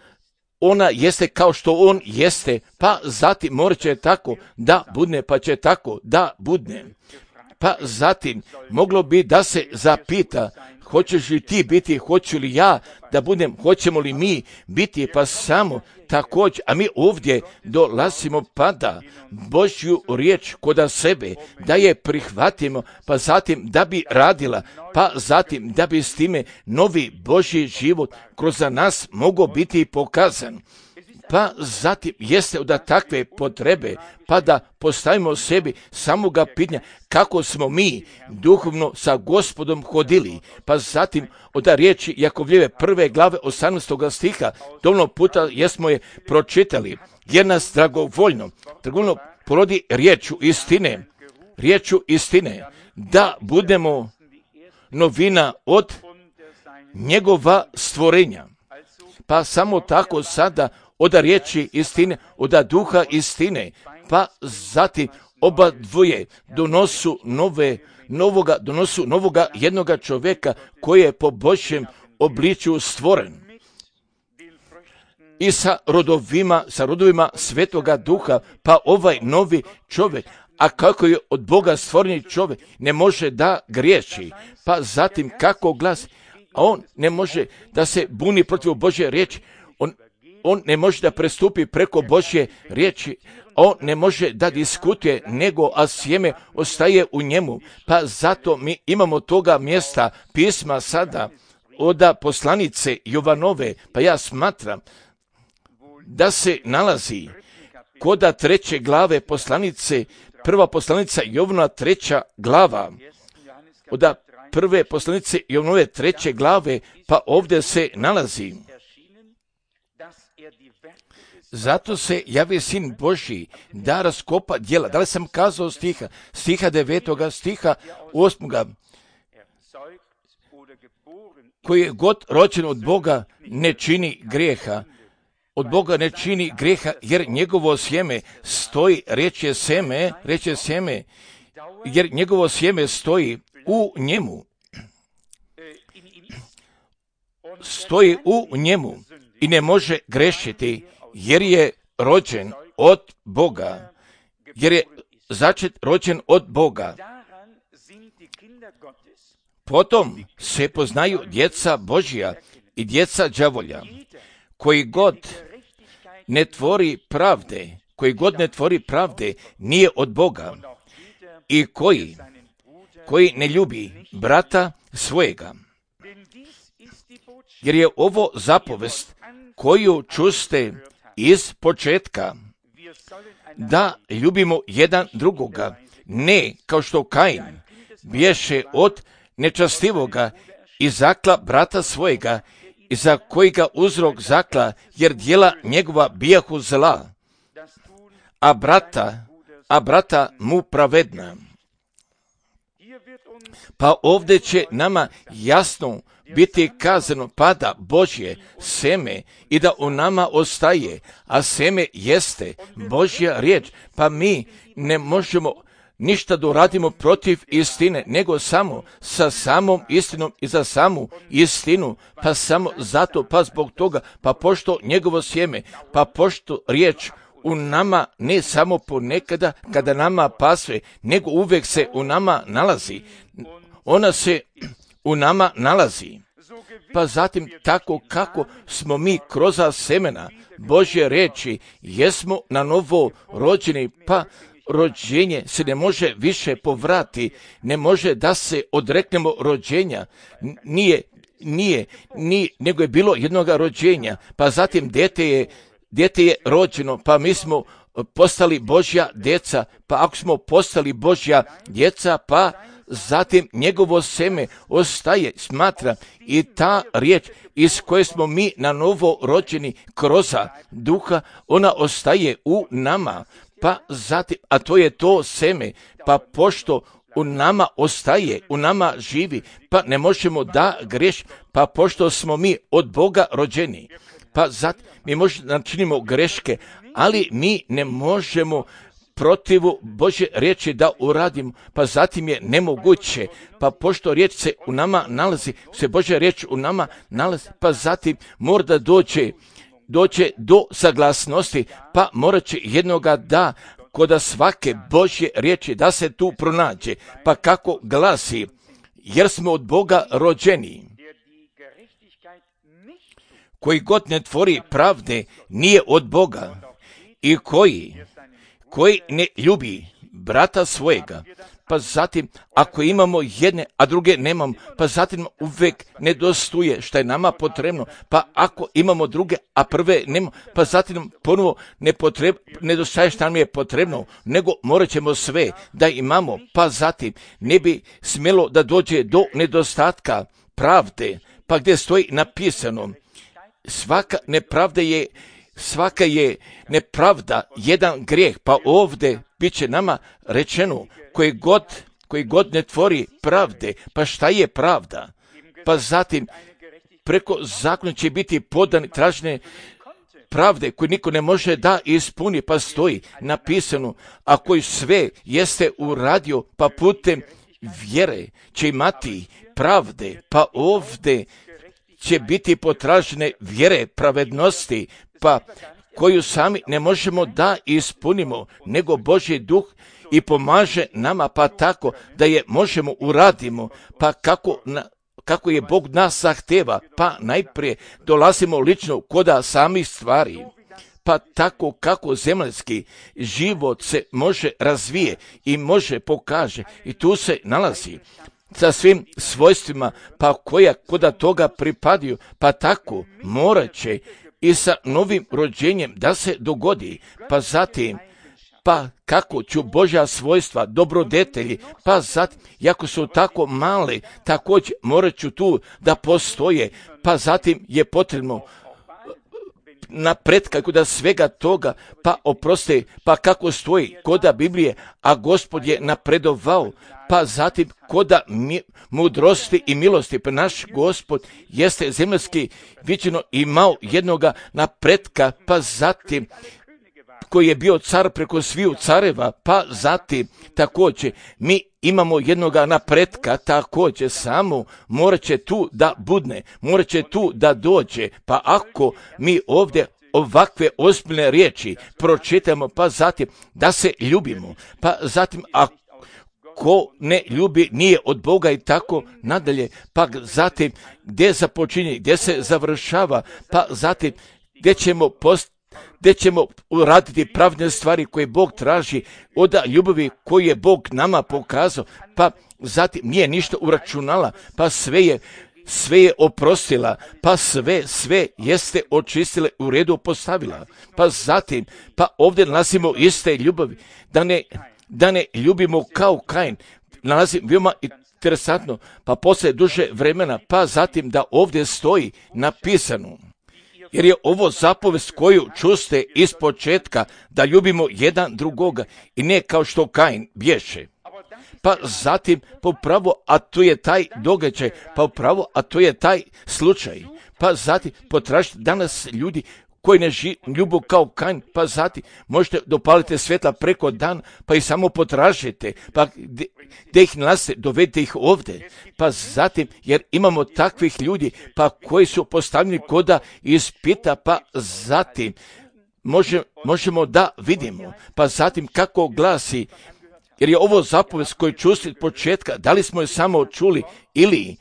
ona jeste kao što on jeste, pa zatim morat će tako da budne, pa će tako da budne. Pa zatim moglo bi da se zapita, hoćeš li ti biti, hoću li ja da budem, hoćemo li mi biti, pa samo također, a mi ovdje dolazimo pa da Božju riječ kod sebe, da je prihvatimo, pa zatim da bi radila, pa zatim da bi s time novi Božji život kroz nas mogao biti pokazan. Pa zatim jeste od takve potrebe, pa da postavimo sebi samoga pitanja kako smo mi duhovno sa Gospodom hodili, pa zatim od riječi Jakovljeve 1. glave 18. stiha, dovoljno puta jesmo je pročitali, jer nas dragovoljno porodi riječu istine, da budemo novina od njegova stvorenja. Pa samo tako sada od riječi istine, od duha istine, pa zatim oba dvoje donosu novoga jednoga čovjeka koji je po Božjem obličju stvoren. I sa rodovima Svetoga Duha, pa ovaj novi čovjek, a kako je od Boga stvoreni čovjek, ne može da griješi, pa zatim kako glasi, a on ne može da se buni protiv Božje riječi, on ne može da prestupi preko Božje riječi, on ne može da diskutuje, nego a sjeme ostaje u njemu. Pa zato mi imamo toga mjesta pisma sada od poslanice Jovanove, pa ja smatram da se nalazi kod 3. glave poslanice, prva poslanica Jovana 3. glava, od prve poslanice Jovanove 3. glave, pa ovdje se nalazi: zato se javi Sin Božji da raskopa djela. Da li sam kazao stiha 9. stiha 8. koji je god rođen od Boga ne čini grijeha. Od Boga ne čini grijeha, jer njegovo sjeme stoji, riječ je sjeme, jer njegovo sjeme stoji u njemu. Stoji u njemu i ne može grešiti, jer je rođen od Boga, jer je začet rođen od Boga. Potom se poznaju djeca Božja i djeca đavolja. Koji god ne tvori pravde, nije od Boga, i koji ne ljubi brata svojega. Jer je ovo zapovest koju čuste iz početka, da ljubimo jedan drugoga, ne kao što Kain bješe od nečastivoga i zakla brata svojega, i za kojega uzrok zakla, jer djela njegova bijahu zla, a brata mu pravedna. Pa ovdje će nama jasno biti kazano, pada Božje seme i da u nama ostaje, a seme jeste Božja riječ, pa mi ne možemo ništa da uradimo protiv istine, nego samo sa samom istinom i za samu istinu, pa samo zato, pa zbog toga, pa pošto njegovo sjeme, pa pošto riječ u nama ne samo ponekada kada nama pasve, nego uvijek se u nama nalazi. Ona se u nama nalazi. Pa zatim tako kako smo mi kroz semena Božje riječi, jesmo na novo rođeni, pa rođenje se ne može više povrati, ne može da se odreknemo rođenja, nije, nego je bilo jednoga rođenja, pa zatim dijete je rođeno, pa mi smo postali Božja djeca, pa ako smo postali Božja djeca, pa zatim njegovo seme ostaje, smatra, i ta riječ iz koje smo mi na novo rođeni kroz duha, ona ostaje u nama. Pa zatim, a to je to seme, pa pošto u nama ostaje, u nama živi, pa ne možemo da greš, pa pošto smo mi od Boga rođeni, pa zatim mi možemo načinimo greške, ali mi ne možemo protivu Božje riječi da uradimo, pa zatim je nemoguće, pa pošto riječ se u nama nalazi, se Božja riječ u nama nalazi, pa zatim mora da dođe do saglasnosti, pa morat će jednoga da kod svake Božje riječi da se tu pronađe, pa kako glasi, jer smo od Boga rođeni. Koji god ne tvori pravde nije od Boga, i koji ne ljubi brata svojega, pa zatim ako imamo jedne, a druge nemamo, pa zatim uvijek nedostuje što je nama potrebno, pa ako imamo druge, a prve nemamo, pa zatim ponovo nedostaje što nam je potrebno, nego morat ćemo sve da imamo, pa zatim ne bi smjelo da dođe do nedostatka pravde, pa gdje stoji napisano, svaka je nepravda jedan grijeh, pa ovdje bit će nama rečeno, koji god ne tvori pravde, pa šta je pravda? Pa zatim preko zakona će biti podani tražene pravde koje niko ne može da ispuni, pa stoji napisano, a koji sve jeste uradio, pa putem vjere će imati pravde, pa ovdje će biti potražene vjere pravednosti, pa koju sami ne možemo da ispunimo, nego Božji duh i pomaže nama, pa tako da je možemo uradimo, pa kako je Bog nas zahteva, pa najprije dolazimo lično koda samih stvari. Pa tako kako zemaljski život se može razvije i može pokaže i tu se nalazi sa svim svojstvima, pa koja koda toga pripadaju, pa tako morat će i sa novim rođenjem da se dogodi, pa zatim pa kako ću Božja svojstva, dobrodetelji, pa zatim, jako su tako male, također morat ću tu da postoje, pa zatim je potrebno napretka koda svega toga, pa oprosti, pa kako stoji koda Biblije, a Gospod je napredovao, pa zatim koda mudrosti i milosti, pa naš Gospod jeste zemaljski viđeno imao jednoga napretka, pa zatim koji je bio car preko sviju careva, pa zatim također mi imamo jednoga napretka, također samo morat će tu da budne, morat će tu da dođe, pa ako mi ovdje ovakve ozbiljne riječi pročitamo, pa zatim da se ljubimo, pa zatim ko ne ljubi nije od Boga i tako nadalje, pa zatim gdje započinje, gdje se završava, pa zatim gdje ćemo uraditi pravne stvari koje Bog traži od ljubavi koju je Bog nama pokazao, pa zatim nije ništa uračunala, pa sve je oprostila, pa sve jeste očistile, u redu postavila, pa zatim, pa ovdje nalazimo iste ljubavi, da ne ljubimo kao Kain, nalazim veoma interesantno, pa poslije duže vremena, pa zatim da ovdje stoji napisano, jer je ovo zapovest koju čuste iz početka, da ljubimo jedan drugoga i ne kao što Kain bješe. Pa zatim popravo, a to je taj događaj, pa upravo, a to je taj slučaj. Pa zatim potražite danas ljudi koji ne ljubu kao Kain, pa zatim možete dopaliti svjetla preko dan, pa ih samo potražite, pa gdje ih nalazite, dovedite ih ovdje, pa zatim, jer imamo takvih ljudi, pa koji su postavljeni koda ispita, pa zatim možemo da vidimo, pa zatim kako glasi, jer je ovo zapovest koju čusti od početka, da li smo je samo čuli ili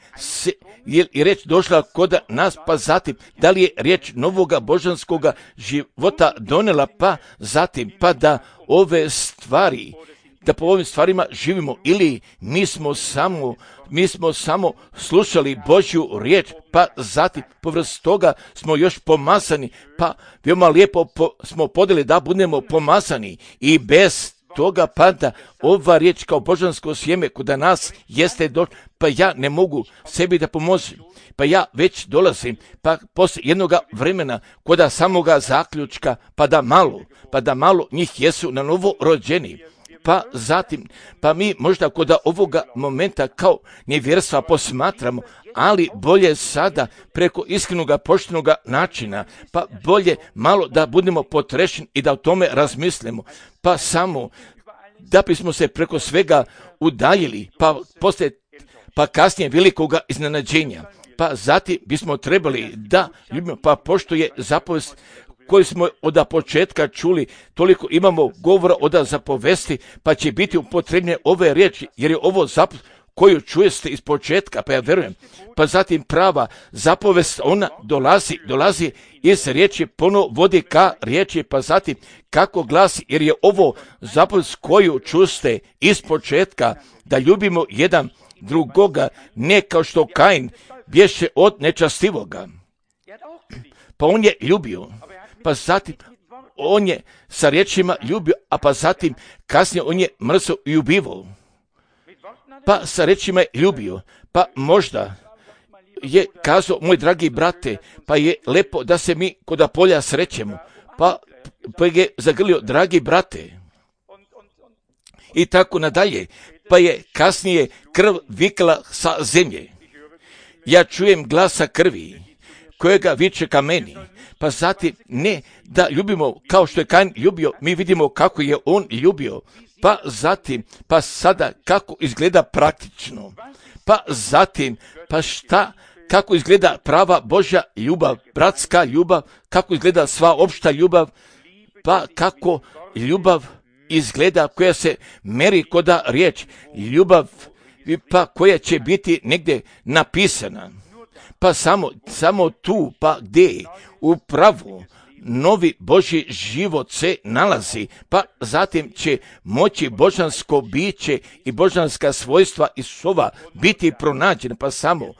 je riječ došla kod nas, pa zatim da li je riječ novoga božanskoga života donela, pa zatim pa da ove stvari, da po ovim stvarima živimo, ili mi smo samo slušali Božju riječ, pa zatim povrst toga smo još pomazani, pa veoma lijepo smo podeli da budemo pomazani i bez toga pada ova riječ kao božansko sjeme kod nas jeste pa ja ne mogu sebi da pomožem, pa ja već dolazim, pa poslije jednoga vremena kod samoga zaključka, pa da malo njih jesu na novo rođeni. Pa zatim, pa mi možda kod ovoga momenta kao nevjerstva posmatramo, ali bolje sada preko iskrenoga poštenoga načina, pa bolje malo da budemo potrešeni i da o tome razmislimo, pa samo da bismo se preko svega udaljili, pa kasnije velikoga iznenađenja, pa zatim bismo trebali da ljubimo, pa pošto je zapovest koju smo od početka čuli, toliko imamo govora od zapovesti, pa će biti upotrebne ove riječi, jer je ovo zapovest koju čujete iz početka, pa ja verujem. Pa zatim prava zapovest, ona dolazi iz riječi, ponovo vodi ka riječi, pa zatim kako glasi, jer je ovo zapovest koju čuste iz početka, da ljubimo jedan drugoga, ne kao što Kain bješe od nečastivoga. Pa on je ljubio, pa zatim on je sa riječima ljubio, a pa zatim kasnije on je mrzo i ubivao. Pa sa riječima je ljubio, pa možda je kazao, moj dragi brate, pa je lepo da se mi kod polja srećemo, pa je zagrlio, dragi brate, i tako nadalje, pa je kasnije krv vikala sa zemlje. Ja čujem glasa krvi, kojega viče ka meni, pa zatim ne da ljubimo kao što je Kain ljubio, mi vidimo kako je on ljubio, pa zatim, pa sada kako izgleda praktično, pa zatim, pa kako izgleda prava Božja ljubav, bratska ljubav, kako izgleda sva opšta ljubav, pa kako ljubav izgleda koja se meri koda riječ, ljubav pa koja će biti negdje napisana. Pa samo tu, pa gdje u pravu novi Božji život se nalazi, pa zatim će moći božansko biće i božanska svojstva Isusova biti pronađena, pa samo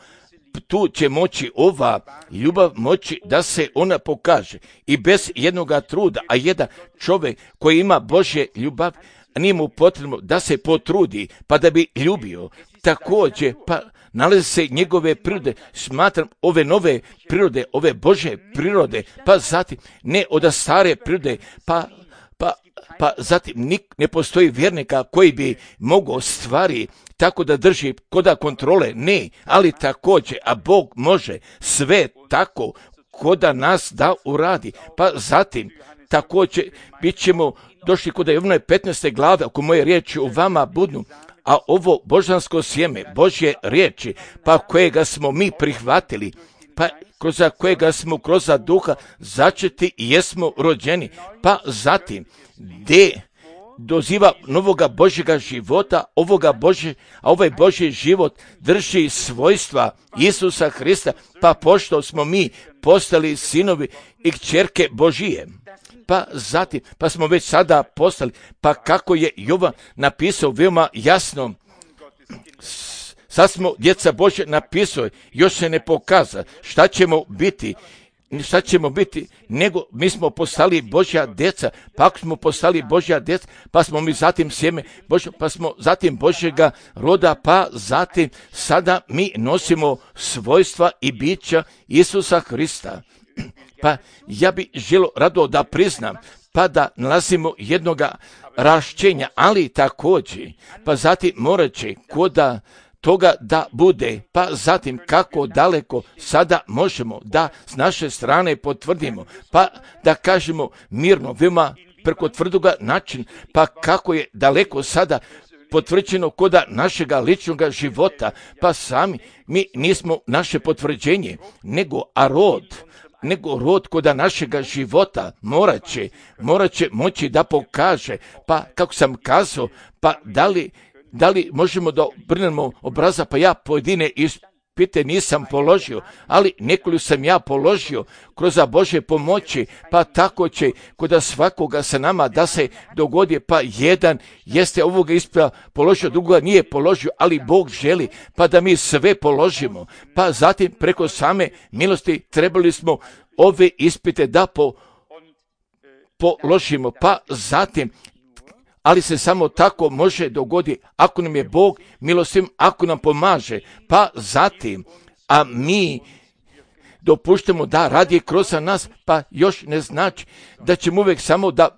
tu će moći ova ljubav moći da se ona pokaže i bez jednoga truda, a jedan čovjek koji ima Božje ljubav, nije mu potrebno da se potrudi pa da bi ljubio, također pa nalaze se njegove prirode, smatram ove nove prirode, ove Božje prirode, pa zatim ne od stare prirode, pa zatim ne postoji vjernika koji bi mogao stvari tako da drži koda kontrole, ne, ali također, a Bog može sve tako koda nas da uradi, pa zatim također bit ćemo došli kod Jovanovi 15. glave, ako moje riječi u vama budu, a ovo božansko sjeme, Božje riječi, pa kojega smo mi prihvatili, pa kroz kojega smo kroz duha začeti i jesmo rođeni, pa zatim gdje doziva novoga Božjega života, ovaj Božji život drži svojstva Isusa Hrista, pa pošto smo mi postali sinovi i kćerke Božije, pa zatim, pa smo već sada postali, pa kako je Jovan napisao veoma jasno, sad smo djeca Božja, napisao, još se ne pokaza šta ćemo biti, nego mi smo postali Božja djeca, pa ako smo postali Božja djeca, pa smo mi zatim sjeme Božja, pa smo zatim Božjega roda, pa zatim sada mi nosimo svojstva i bića Isusa Hrista. Pa ja bi želio rado da priznam, pa da nalazimo jednoga rašćenja, ali također, pa zatim morat će koda toga da bude, pa zatim kako daleko sada možemo da s naše strane potvrdimo, pa da kažemo mirno, veoma preko tvrdoga način, pa kako je daleko sada potvrđeno koda našega ličnog života, pa sami mi nismo naše potvrđenje, nego rod koda našega života morat će moći da pokaže, pa kako sam kazao, pa da li možemo da obrnemo obraza, pa ja pojedine ispite nisam položio, ali nekoliko sam ja položio kroz Božje pomoći, pa tako će kod svakoga sa nama da se dogodi, pa jedan jeste ovoga ispita položio, drugoga nije položio, ali Bog želi pa da mi sve položimo, pa zatim preko same milosti trebali smo ove ispite da položimo, pa zatim ali se samo tako može dogoditi ako nam je Bog milostiv, ako nam pomaže, pa zatim, a mi dopuštamo da radi kroz nas, pa još ne znači da ćemo uvijek samo da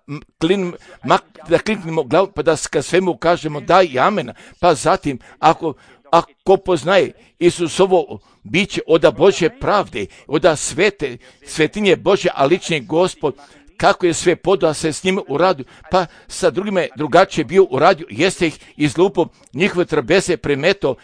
kliknemo glavu, pa da svemu kažemo da i amen, pa zatim, ako poznaje Isusovo biće od Božje pravde, od svetinje Božje, a lični Gospod, kako je sve podao se s njima uradio, pa sa drugima je drugačije bio uradio, jeste ih izlupao, njihove trabeze premeto,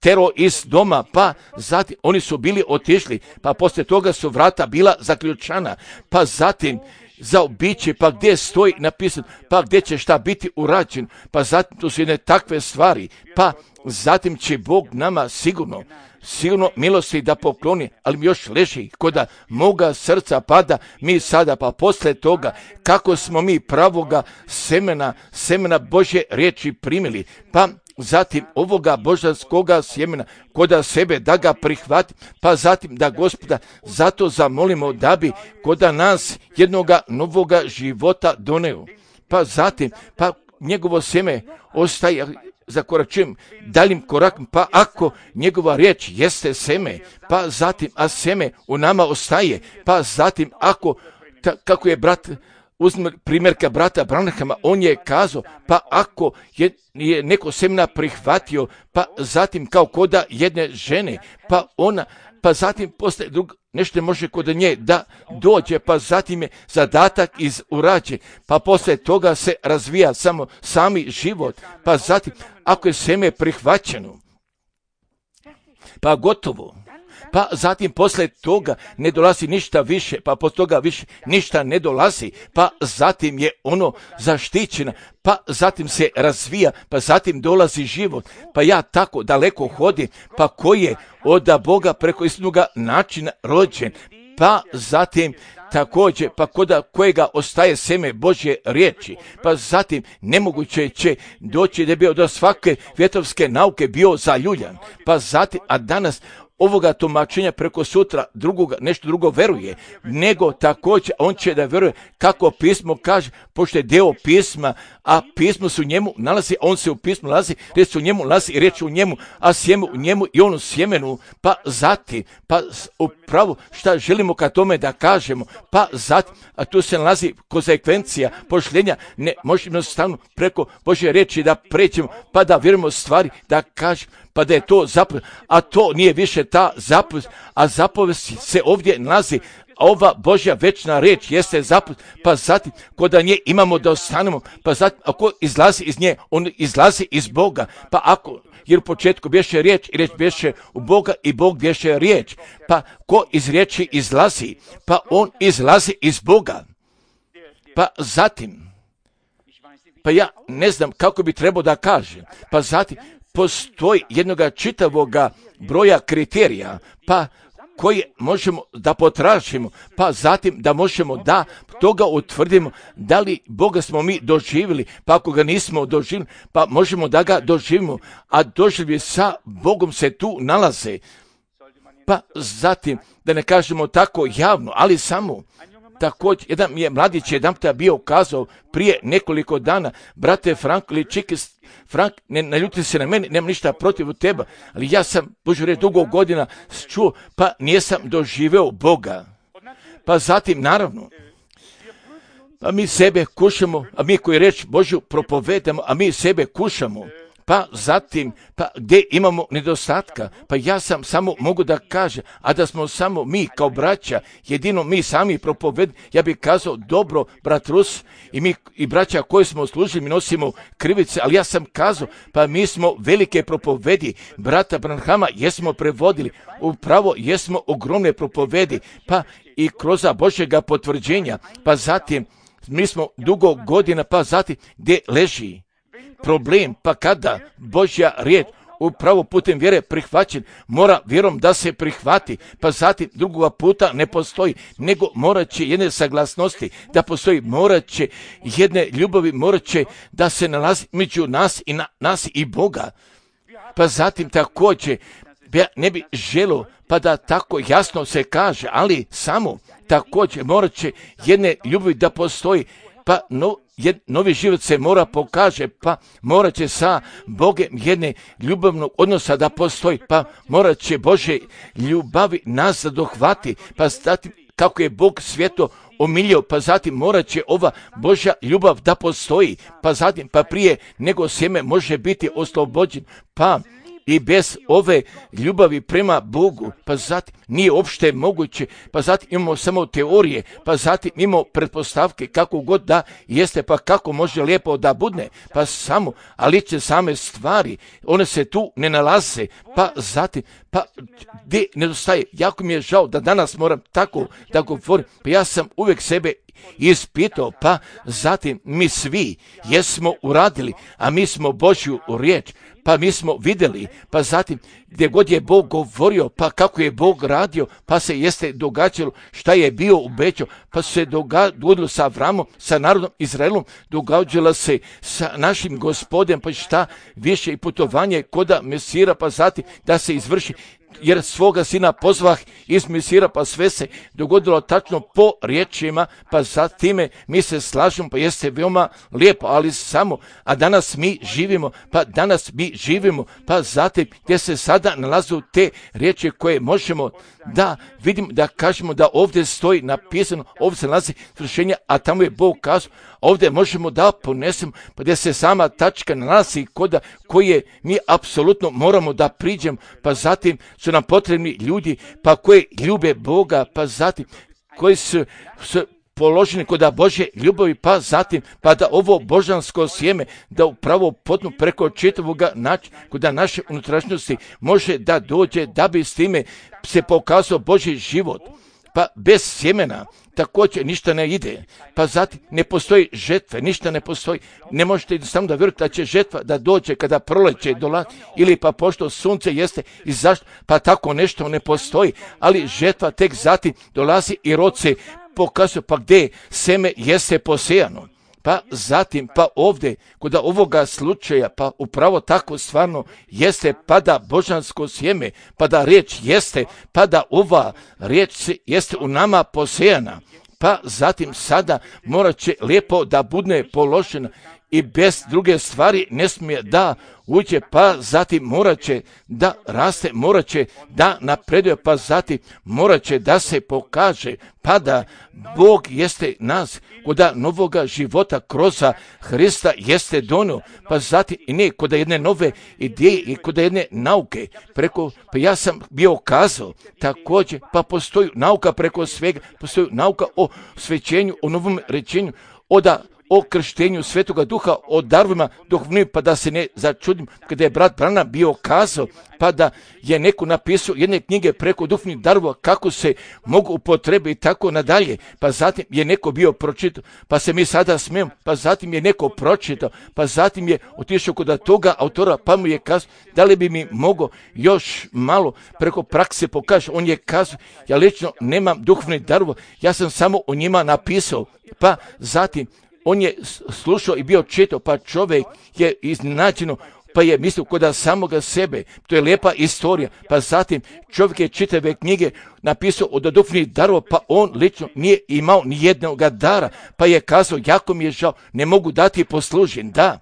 tero iz doma, pa zatim oni su bili otišli, pa poslije toga su vrata bila zaključana, pa zatim zaobići, pa gdje stoji napisano, pa gdje će šta biti urađen, pa zatim tu su jedne takve stvari, pa zatim će Bog nama sigurno milosti da pokloni, ali mi još leži koda moga srca pada mi sada, pa posle toga kako smo mi pravoga semena Božje riječi primili, pa zatim ovoga božanskoga sjemena koda sebe da ga prihvati, pa zatim da Gospoda zato zamolimo da bi koda nas jednoga novoga života doneo, pa zatim pa njegovo sjeme ostaje zakoračujem daljim korakom, pa ako njegova riječ jeste seme, pa zatim, a seme u nama ostaje, pa zatim kako je brat, uzme primjerka brata Branhama, on je kazao, pa ako je neko semena prihvatio, pa zatim kao koda jedne žene, pa zatim postaje nešto može kod nje da dođe, pa zatim je zadatak urađen, pa poslije toga se razvija sami život, pa zatim ako je seme prihvaćeno, pa gotovo, pa zatim posle toga ne dolazi ništa više, pa posle toga više ništa ne dolazi, pa zatim je ono zaštićeno, pa zatim se razvija, pa zatim dolazi život, pa ja tako daleko hodim, pa koji je od Boga preko istinoga načina rođen, pa zatim također, pa kod kojega ostaje seme Božje riječi, pa zatim nemoguće će doći da je bio do svake vjetovske nauke bio zaljuljan, pa zatim, a danas ovoga tumačenja preko sutra drugoga, nešto drugo veruje, nego također on će da veruje kako pismo kaže, pošto je deo pisma, a pismo se u njemu nalazi, on se u pismu nalazi, riječ se u njemu nalazi i riječ u njemu, a sjeme u njemu i on u sjemenu, pa zatim, pa upravo šta želimo ka tome da kažemo, pa zatim, a tu se nalazi konsekvencija pošljenja, ne možemo stavno preko Božje riječi da prećemo, pa da vjerujemo stvari, da kažemo, pa da je to zapovest, a to nije više ta zapovest, a zapovest se ovdje nalazi, ova Božja večna riječ jeste zapovest, pa zatim kod nje imamo da ostanemo, pa zatim ako izlazi iz nje, on izlazi iz Boga, pa ako, jer u početku bješe riječ i riječ bješe u Boga i Bog bješe riječ, pa ko iz riječi izlazi, pa on izlazi iz Boga, pa zatim, pa ja ne znam kako bi trebao da kažem, pa zatim postoji jednoga čitavoga broja kriterija, pa koje možemo da potražimo, pa zatim da možemo da toga utvrdimo da li Boga smo mi doživjeli, pa ako ga nismo doživjeli, pa možemo da ga doživimo, a doživlje sa Bogom se tu nalaze. Pa zatim, da ne kažemo tako javno, ali samo također, jedan mi je mladić jedan bio kazao prije nekoliko dana, brate Frank ili Čikis, Frank, ne naljuti se na meni, nemam ništa protiv teba, ali ja sam, Božu reći, dugo godina čuo, pa nisam doživeo Boga. Pa zatim, naravno, pa mi sebe kušamo, a mi koji reč Božju propovedamo, a mi sebe kušamo. Pa zatim, pa gdje imamo nedostatka, pa ja sam samo mogu da kažem, a da smo samo mi kao braća, jedino mi sami propovedamo, ja bih kazao dobro, brat Rus i mi i braća koji smo služili, mi nosimo krivice, ali ja sam kazao, pa mi smo velike propovedi, brata Branhama jesmo prevodili, upravo jesmo ogromne propovedi, pa i kroz Božjega potvrđenja, pa zatim mi smo dugo godina, pa zatim gdje leži problem, pa kada Božja riječ upravo putem vjere prihvaćen, mora vjerom da se prihvati, pa zatim drugoga puta ne postoji, nego morat će jedne saglasnosti da postoji, morat će jedne ljubavi, morat će da se nalazi među nas i nas i Boga. Pa zatim također, ja ne bi želio pa da tako jasno se kaže, ali samo također morat će jedne ljubavi da postoji, pa novi život se mora pokaže, pa morat će sa Bogem jedne ljubavnog odnosa da postoji, pa morat će Bože ljubavi nas dohvati, pa zatim kako je Bog svijeto omilio, pa zatim morat će ova Božja ljubav da postoji, pa zatim pa prije nego sjeme može biti oslobođen, pa i bez ove ljubavi prema Bogu, pa zatim nije uopšte moguće, pa zatim imamo samo teorije, pa zatim imamo pretpostavke kako god da jeste, pa kako može lijepo da budne, pa samo, ali će same stvari, one se tu ne nalaze, pa zatim, pa gdje nedostaje, jako mi je žao da danas moram tako da govorim, pa ja sam uvijek sebe ispitao, pa zatim mi svi jesmo uradili, a mi smo Božju riječ, pa mi smo vidjeli, pa zatim gdje god je Bog govorio, pa kako je Bog radio, pa se jeste događalo šta je bio obećao, pa se dogodilo sa Avramom, sa narodom Izraelom, događalo se sa našim Gospodem, pa šta više i putovanje koda Mesira, pa zatim da se izvrši, jer svoga sina pozvah iz Mesira, pa sve se dogodilo tačno po riječima, pa za time mi se slažemo, pa jeste veoma lijepo, ali samo, a danas mi živimo, pa zatim gdje se sada nalazu te riječi koje možemo da vidimo, da kažemo da ovdje stoji napisano, ovdje se nalazi svršenja, a tamo je Bog kazao, ovdje možemo da ponesemo, pa gdje se sama tačka nalazi koda koje mi apsolutno moramo da priđemo, pa zatim su nam potrebni ljudi, pa koji ljube Boga, pa zatim koji su položeni kod Božje ljubavi, pa zatim, pa da ovo božansko sjeme, da upravo potnu preko čitavoga načina, kod naše unutrašnjosti može da dođe, da bi s time se pokazao Božji život. Pa bez sjemena također ništa ne ide. Pa zatim ne postoji žetve, ništa ne postoji. Ne možete samo da vjerujete da će žetva da dođe kada proleće dolazi, ili pa pošto sunce jeste i zašto, pa tako nešto ne postoji. Ali žetva tek zatim dolazi i rod se pokazuje, pa gdje seme jeste posejano. Pa zatim, pa ovdje, kod ovoga slučaja, pa upravo tako stvarno jeste, pa da božansko sjeme, pa da riječ jeste, pa da ova riječ jeste u nama posejana. Pa zatim sada morat će lijepo da bude položena i bez druge stvari ne smije da uđe, pa zatim morat će da raste, morat će da napreduje, pa zatim morat će da se pokaže, pa da Bog jeste nas kod novoga života kroz Hrista jeste donio, pa zatim i ne kod jedne nove ideje i kod jedne nauke, pa ja sam bio kazao također, pa postoji nauka preko svega, postoji nauka o svećenju, o novom rečenju, o krštenju Svetoga Duha, o darovima duhovnim, pa da se ne začudim kada je brat Branham bio kazao, pa da je neko napisao jedne knjige preko duhovnih darova kako se mogu upotrebiti i tako nadalje, pa zatim je neko bio pročitao, pa se mi sada smijemo, pa zatim je neko pročitao, pa zatim je otišao kod toga autora, pa mu je kazao da li bi mi mogao još malo preko prakse pokaže. On je kazao, ja lično nemam duhovnih darova, ja sam samo o njima napisao, pa zatim on je slušao i bio čitao, pa čovjek je iznenađeno, pa je mislio kod samoga sebe. To je lijepa istorija. Pa zatim čovjek je čitave knjige napisao od duhovnih darova, pa on lično nije imao ni jednog dara, pa je kazao, jako mi je žao, ne mogu dati poslužen. Da.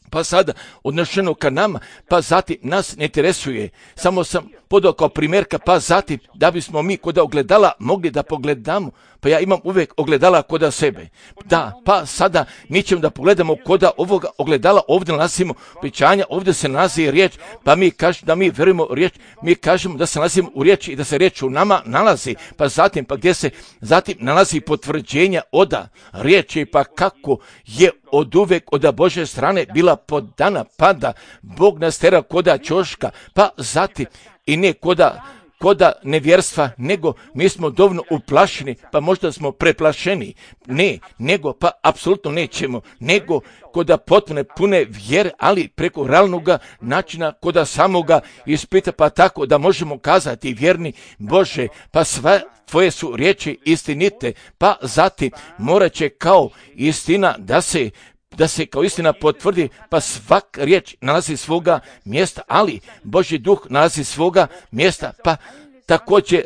Pa sada odnošeno ka nama, pa zatim nas ne interesuje. Samo sam podao kao primjerka, pa zatim da bismo mi kod ogledala mogli da pogledamo, pa ja imam uvijek ogledala kod sebe. Da, pa sada mi ćemo da pogledamo kod ovoga ogledala, ovdje nalazimo obećanja, ovdje se nalazi riječ, pa mi kažemo da mi verujemo riječ, mi kažemo da se nalazimo u riječi i da se riječ u nama nalazi, pa zatim, pa gdje se zatim nalazi potvrđenja od riječi, pa kako je od uvijek od Božje strane bila podana, pa da Bog nas tera koda ćoška, pa zatim i ne koda nevjerstva, nego mi smo dovoljno uplašeni, pa možda smo preplašeni. Ne, nego pa apsolutno nećemo, nego koda potpune pune vjere, ali preko realnog načina, koda samoga ispita, pa tako da možemo kazati vjerni Bože, pa sve tvoje su riječi istinite, pa zatim morat će kao istina da se kao istina potvrdi, pa svak riječ nalazi svoga mjesta, ali Božji duh nalazi svoga mjesta, pa također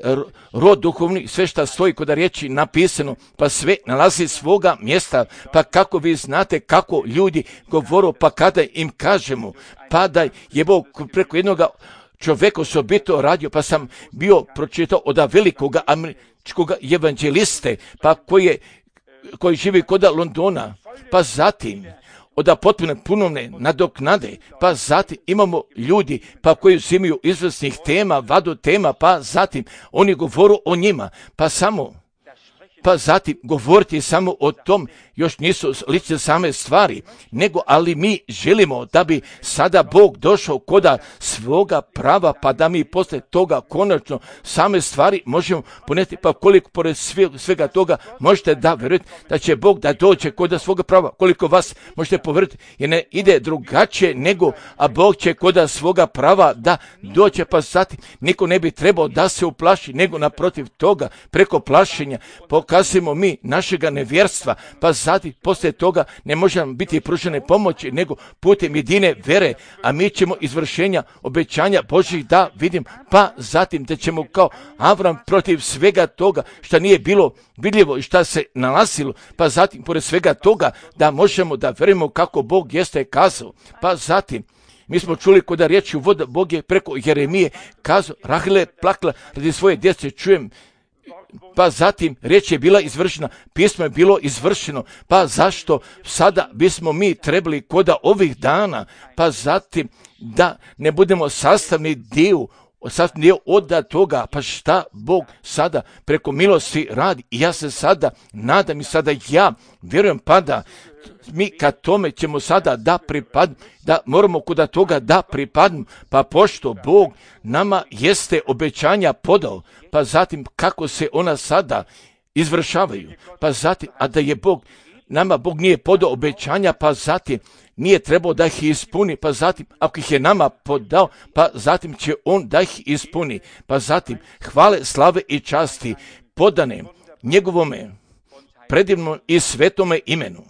rod duhovni, sve što stoji kod riječi napisano, pa sve nalazi svoga mjesta, pa kako vi znate kako ljudi govoru, pa kada im kažemo, pa da je Bog preko jednoga čovjeka osobito radio, pa sam bio pročitao od velikog američkog evanđeliste, pa koji živi kod Londona, pa zatim od potpune punovne nadoknade, pa zatim imamo ljudi pa koji uzimaju izvrsnih tema, vadu tema, pa zatim oni govoru o njima, pa zatim govoriti samo o tom, još nisu lične same stvari, nego ali mi želimo da bi sada Bog došao koda svoga prava, pa da mi posle toga konačno same stvari možemo poneti, pa koliko pored svega toga možete da vjerujete da će Bog da dođe koda svoga prava, koliko vas možete povjeriti, jer ne ide drugačije nego, a Bog će koda svoga prava da dođe, pa zatim niko ne bi trebao da se uplaši, nego naprotiv toga, preko plašenja pokazujemo mi našega nevjerstva, pa zatim poslije toga ne može nam biti pružene pomoći, nego putem jedine vere, a mi ćemo izvršenja obećanja Božih da vidim, pa zatim da ćemo kao Avram protiv svega toga što nije bilo vidljivo i šta se nalazilo, pa zatim pored svega toga da možemo da verujemo kako Bog jeste kazao, pa zatim mi smo čuli kod riječi u voda, Bog je preko Jeremije kazao, Rahile plakala radi svoje djece, čujem, pa zatim riječ je bila izvršena, pismo je bilo izvršeno, pa zašto sada bismo mi trebali koda ovih dana, pa zatim da ne budemo sastavni dio sad nije od toga, pa šta Bog sada preko milosti radi. I ja se sada nadam i sada ja vjerujem pa da mi kad tome ćemo sada da pripadnu, da moramo kuda toga da pripadnu, pa pošto Bog nama jeste obećanja podao, pa zatim kako se ona sada izvršavaju, pa zatim, a da je Bog, nama Bog nije podao obećanja, pa zatim nije trebao da ih ispuni, pa zatim ako ih je nama podao, pa zatim će on da ih ispuni, pa zatim hvale, slave i časti podane njegovome predivnom i svetome imenu.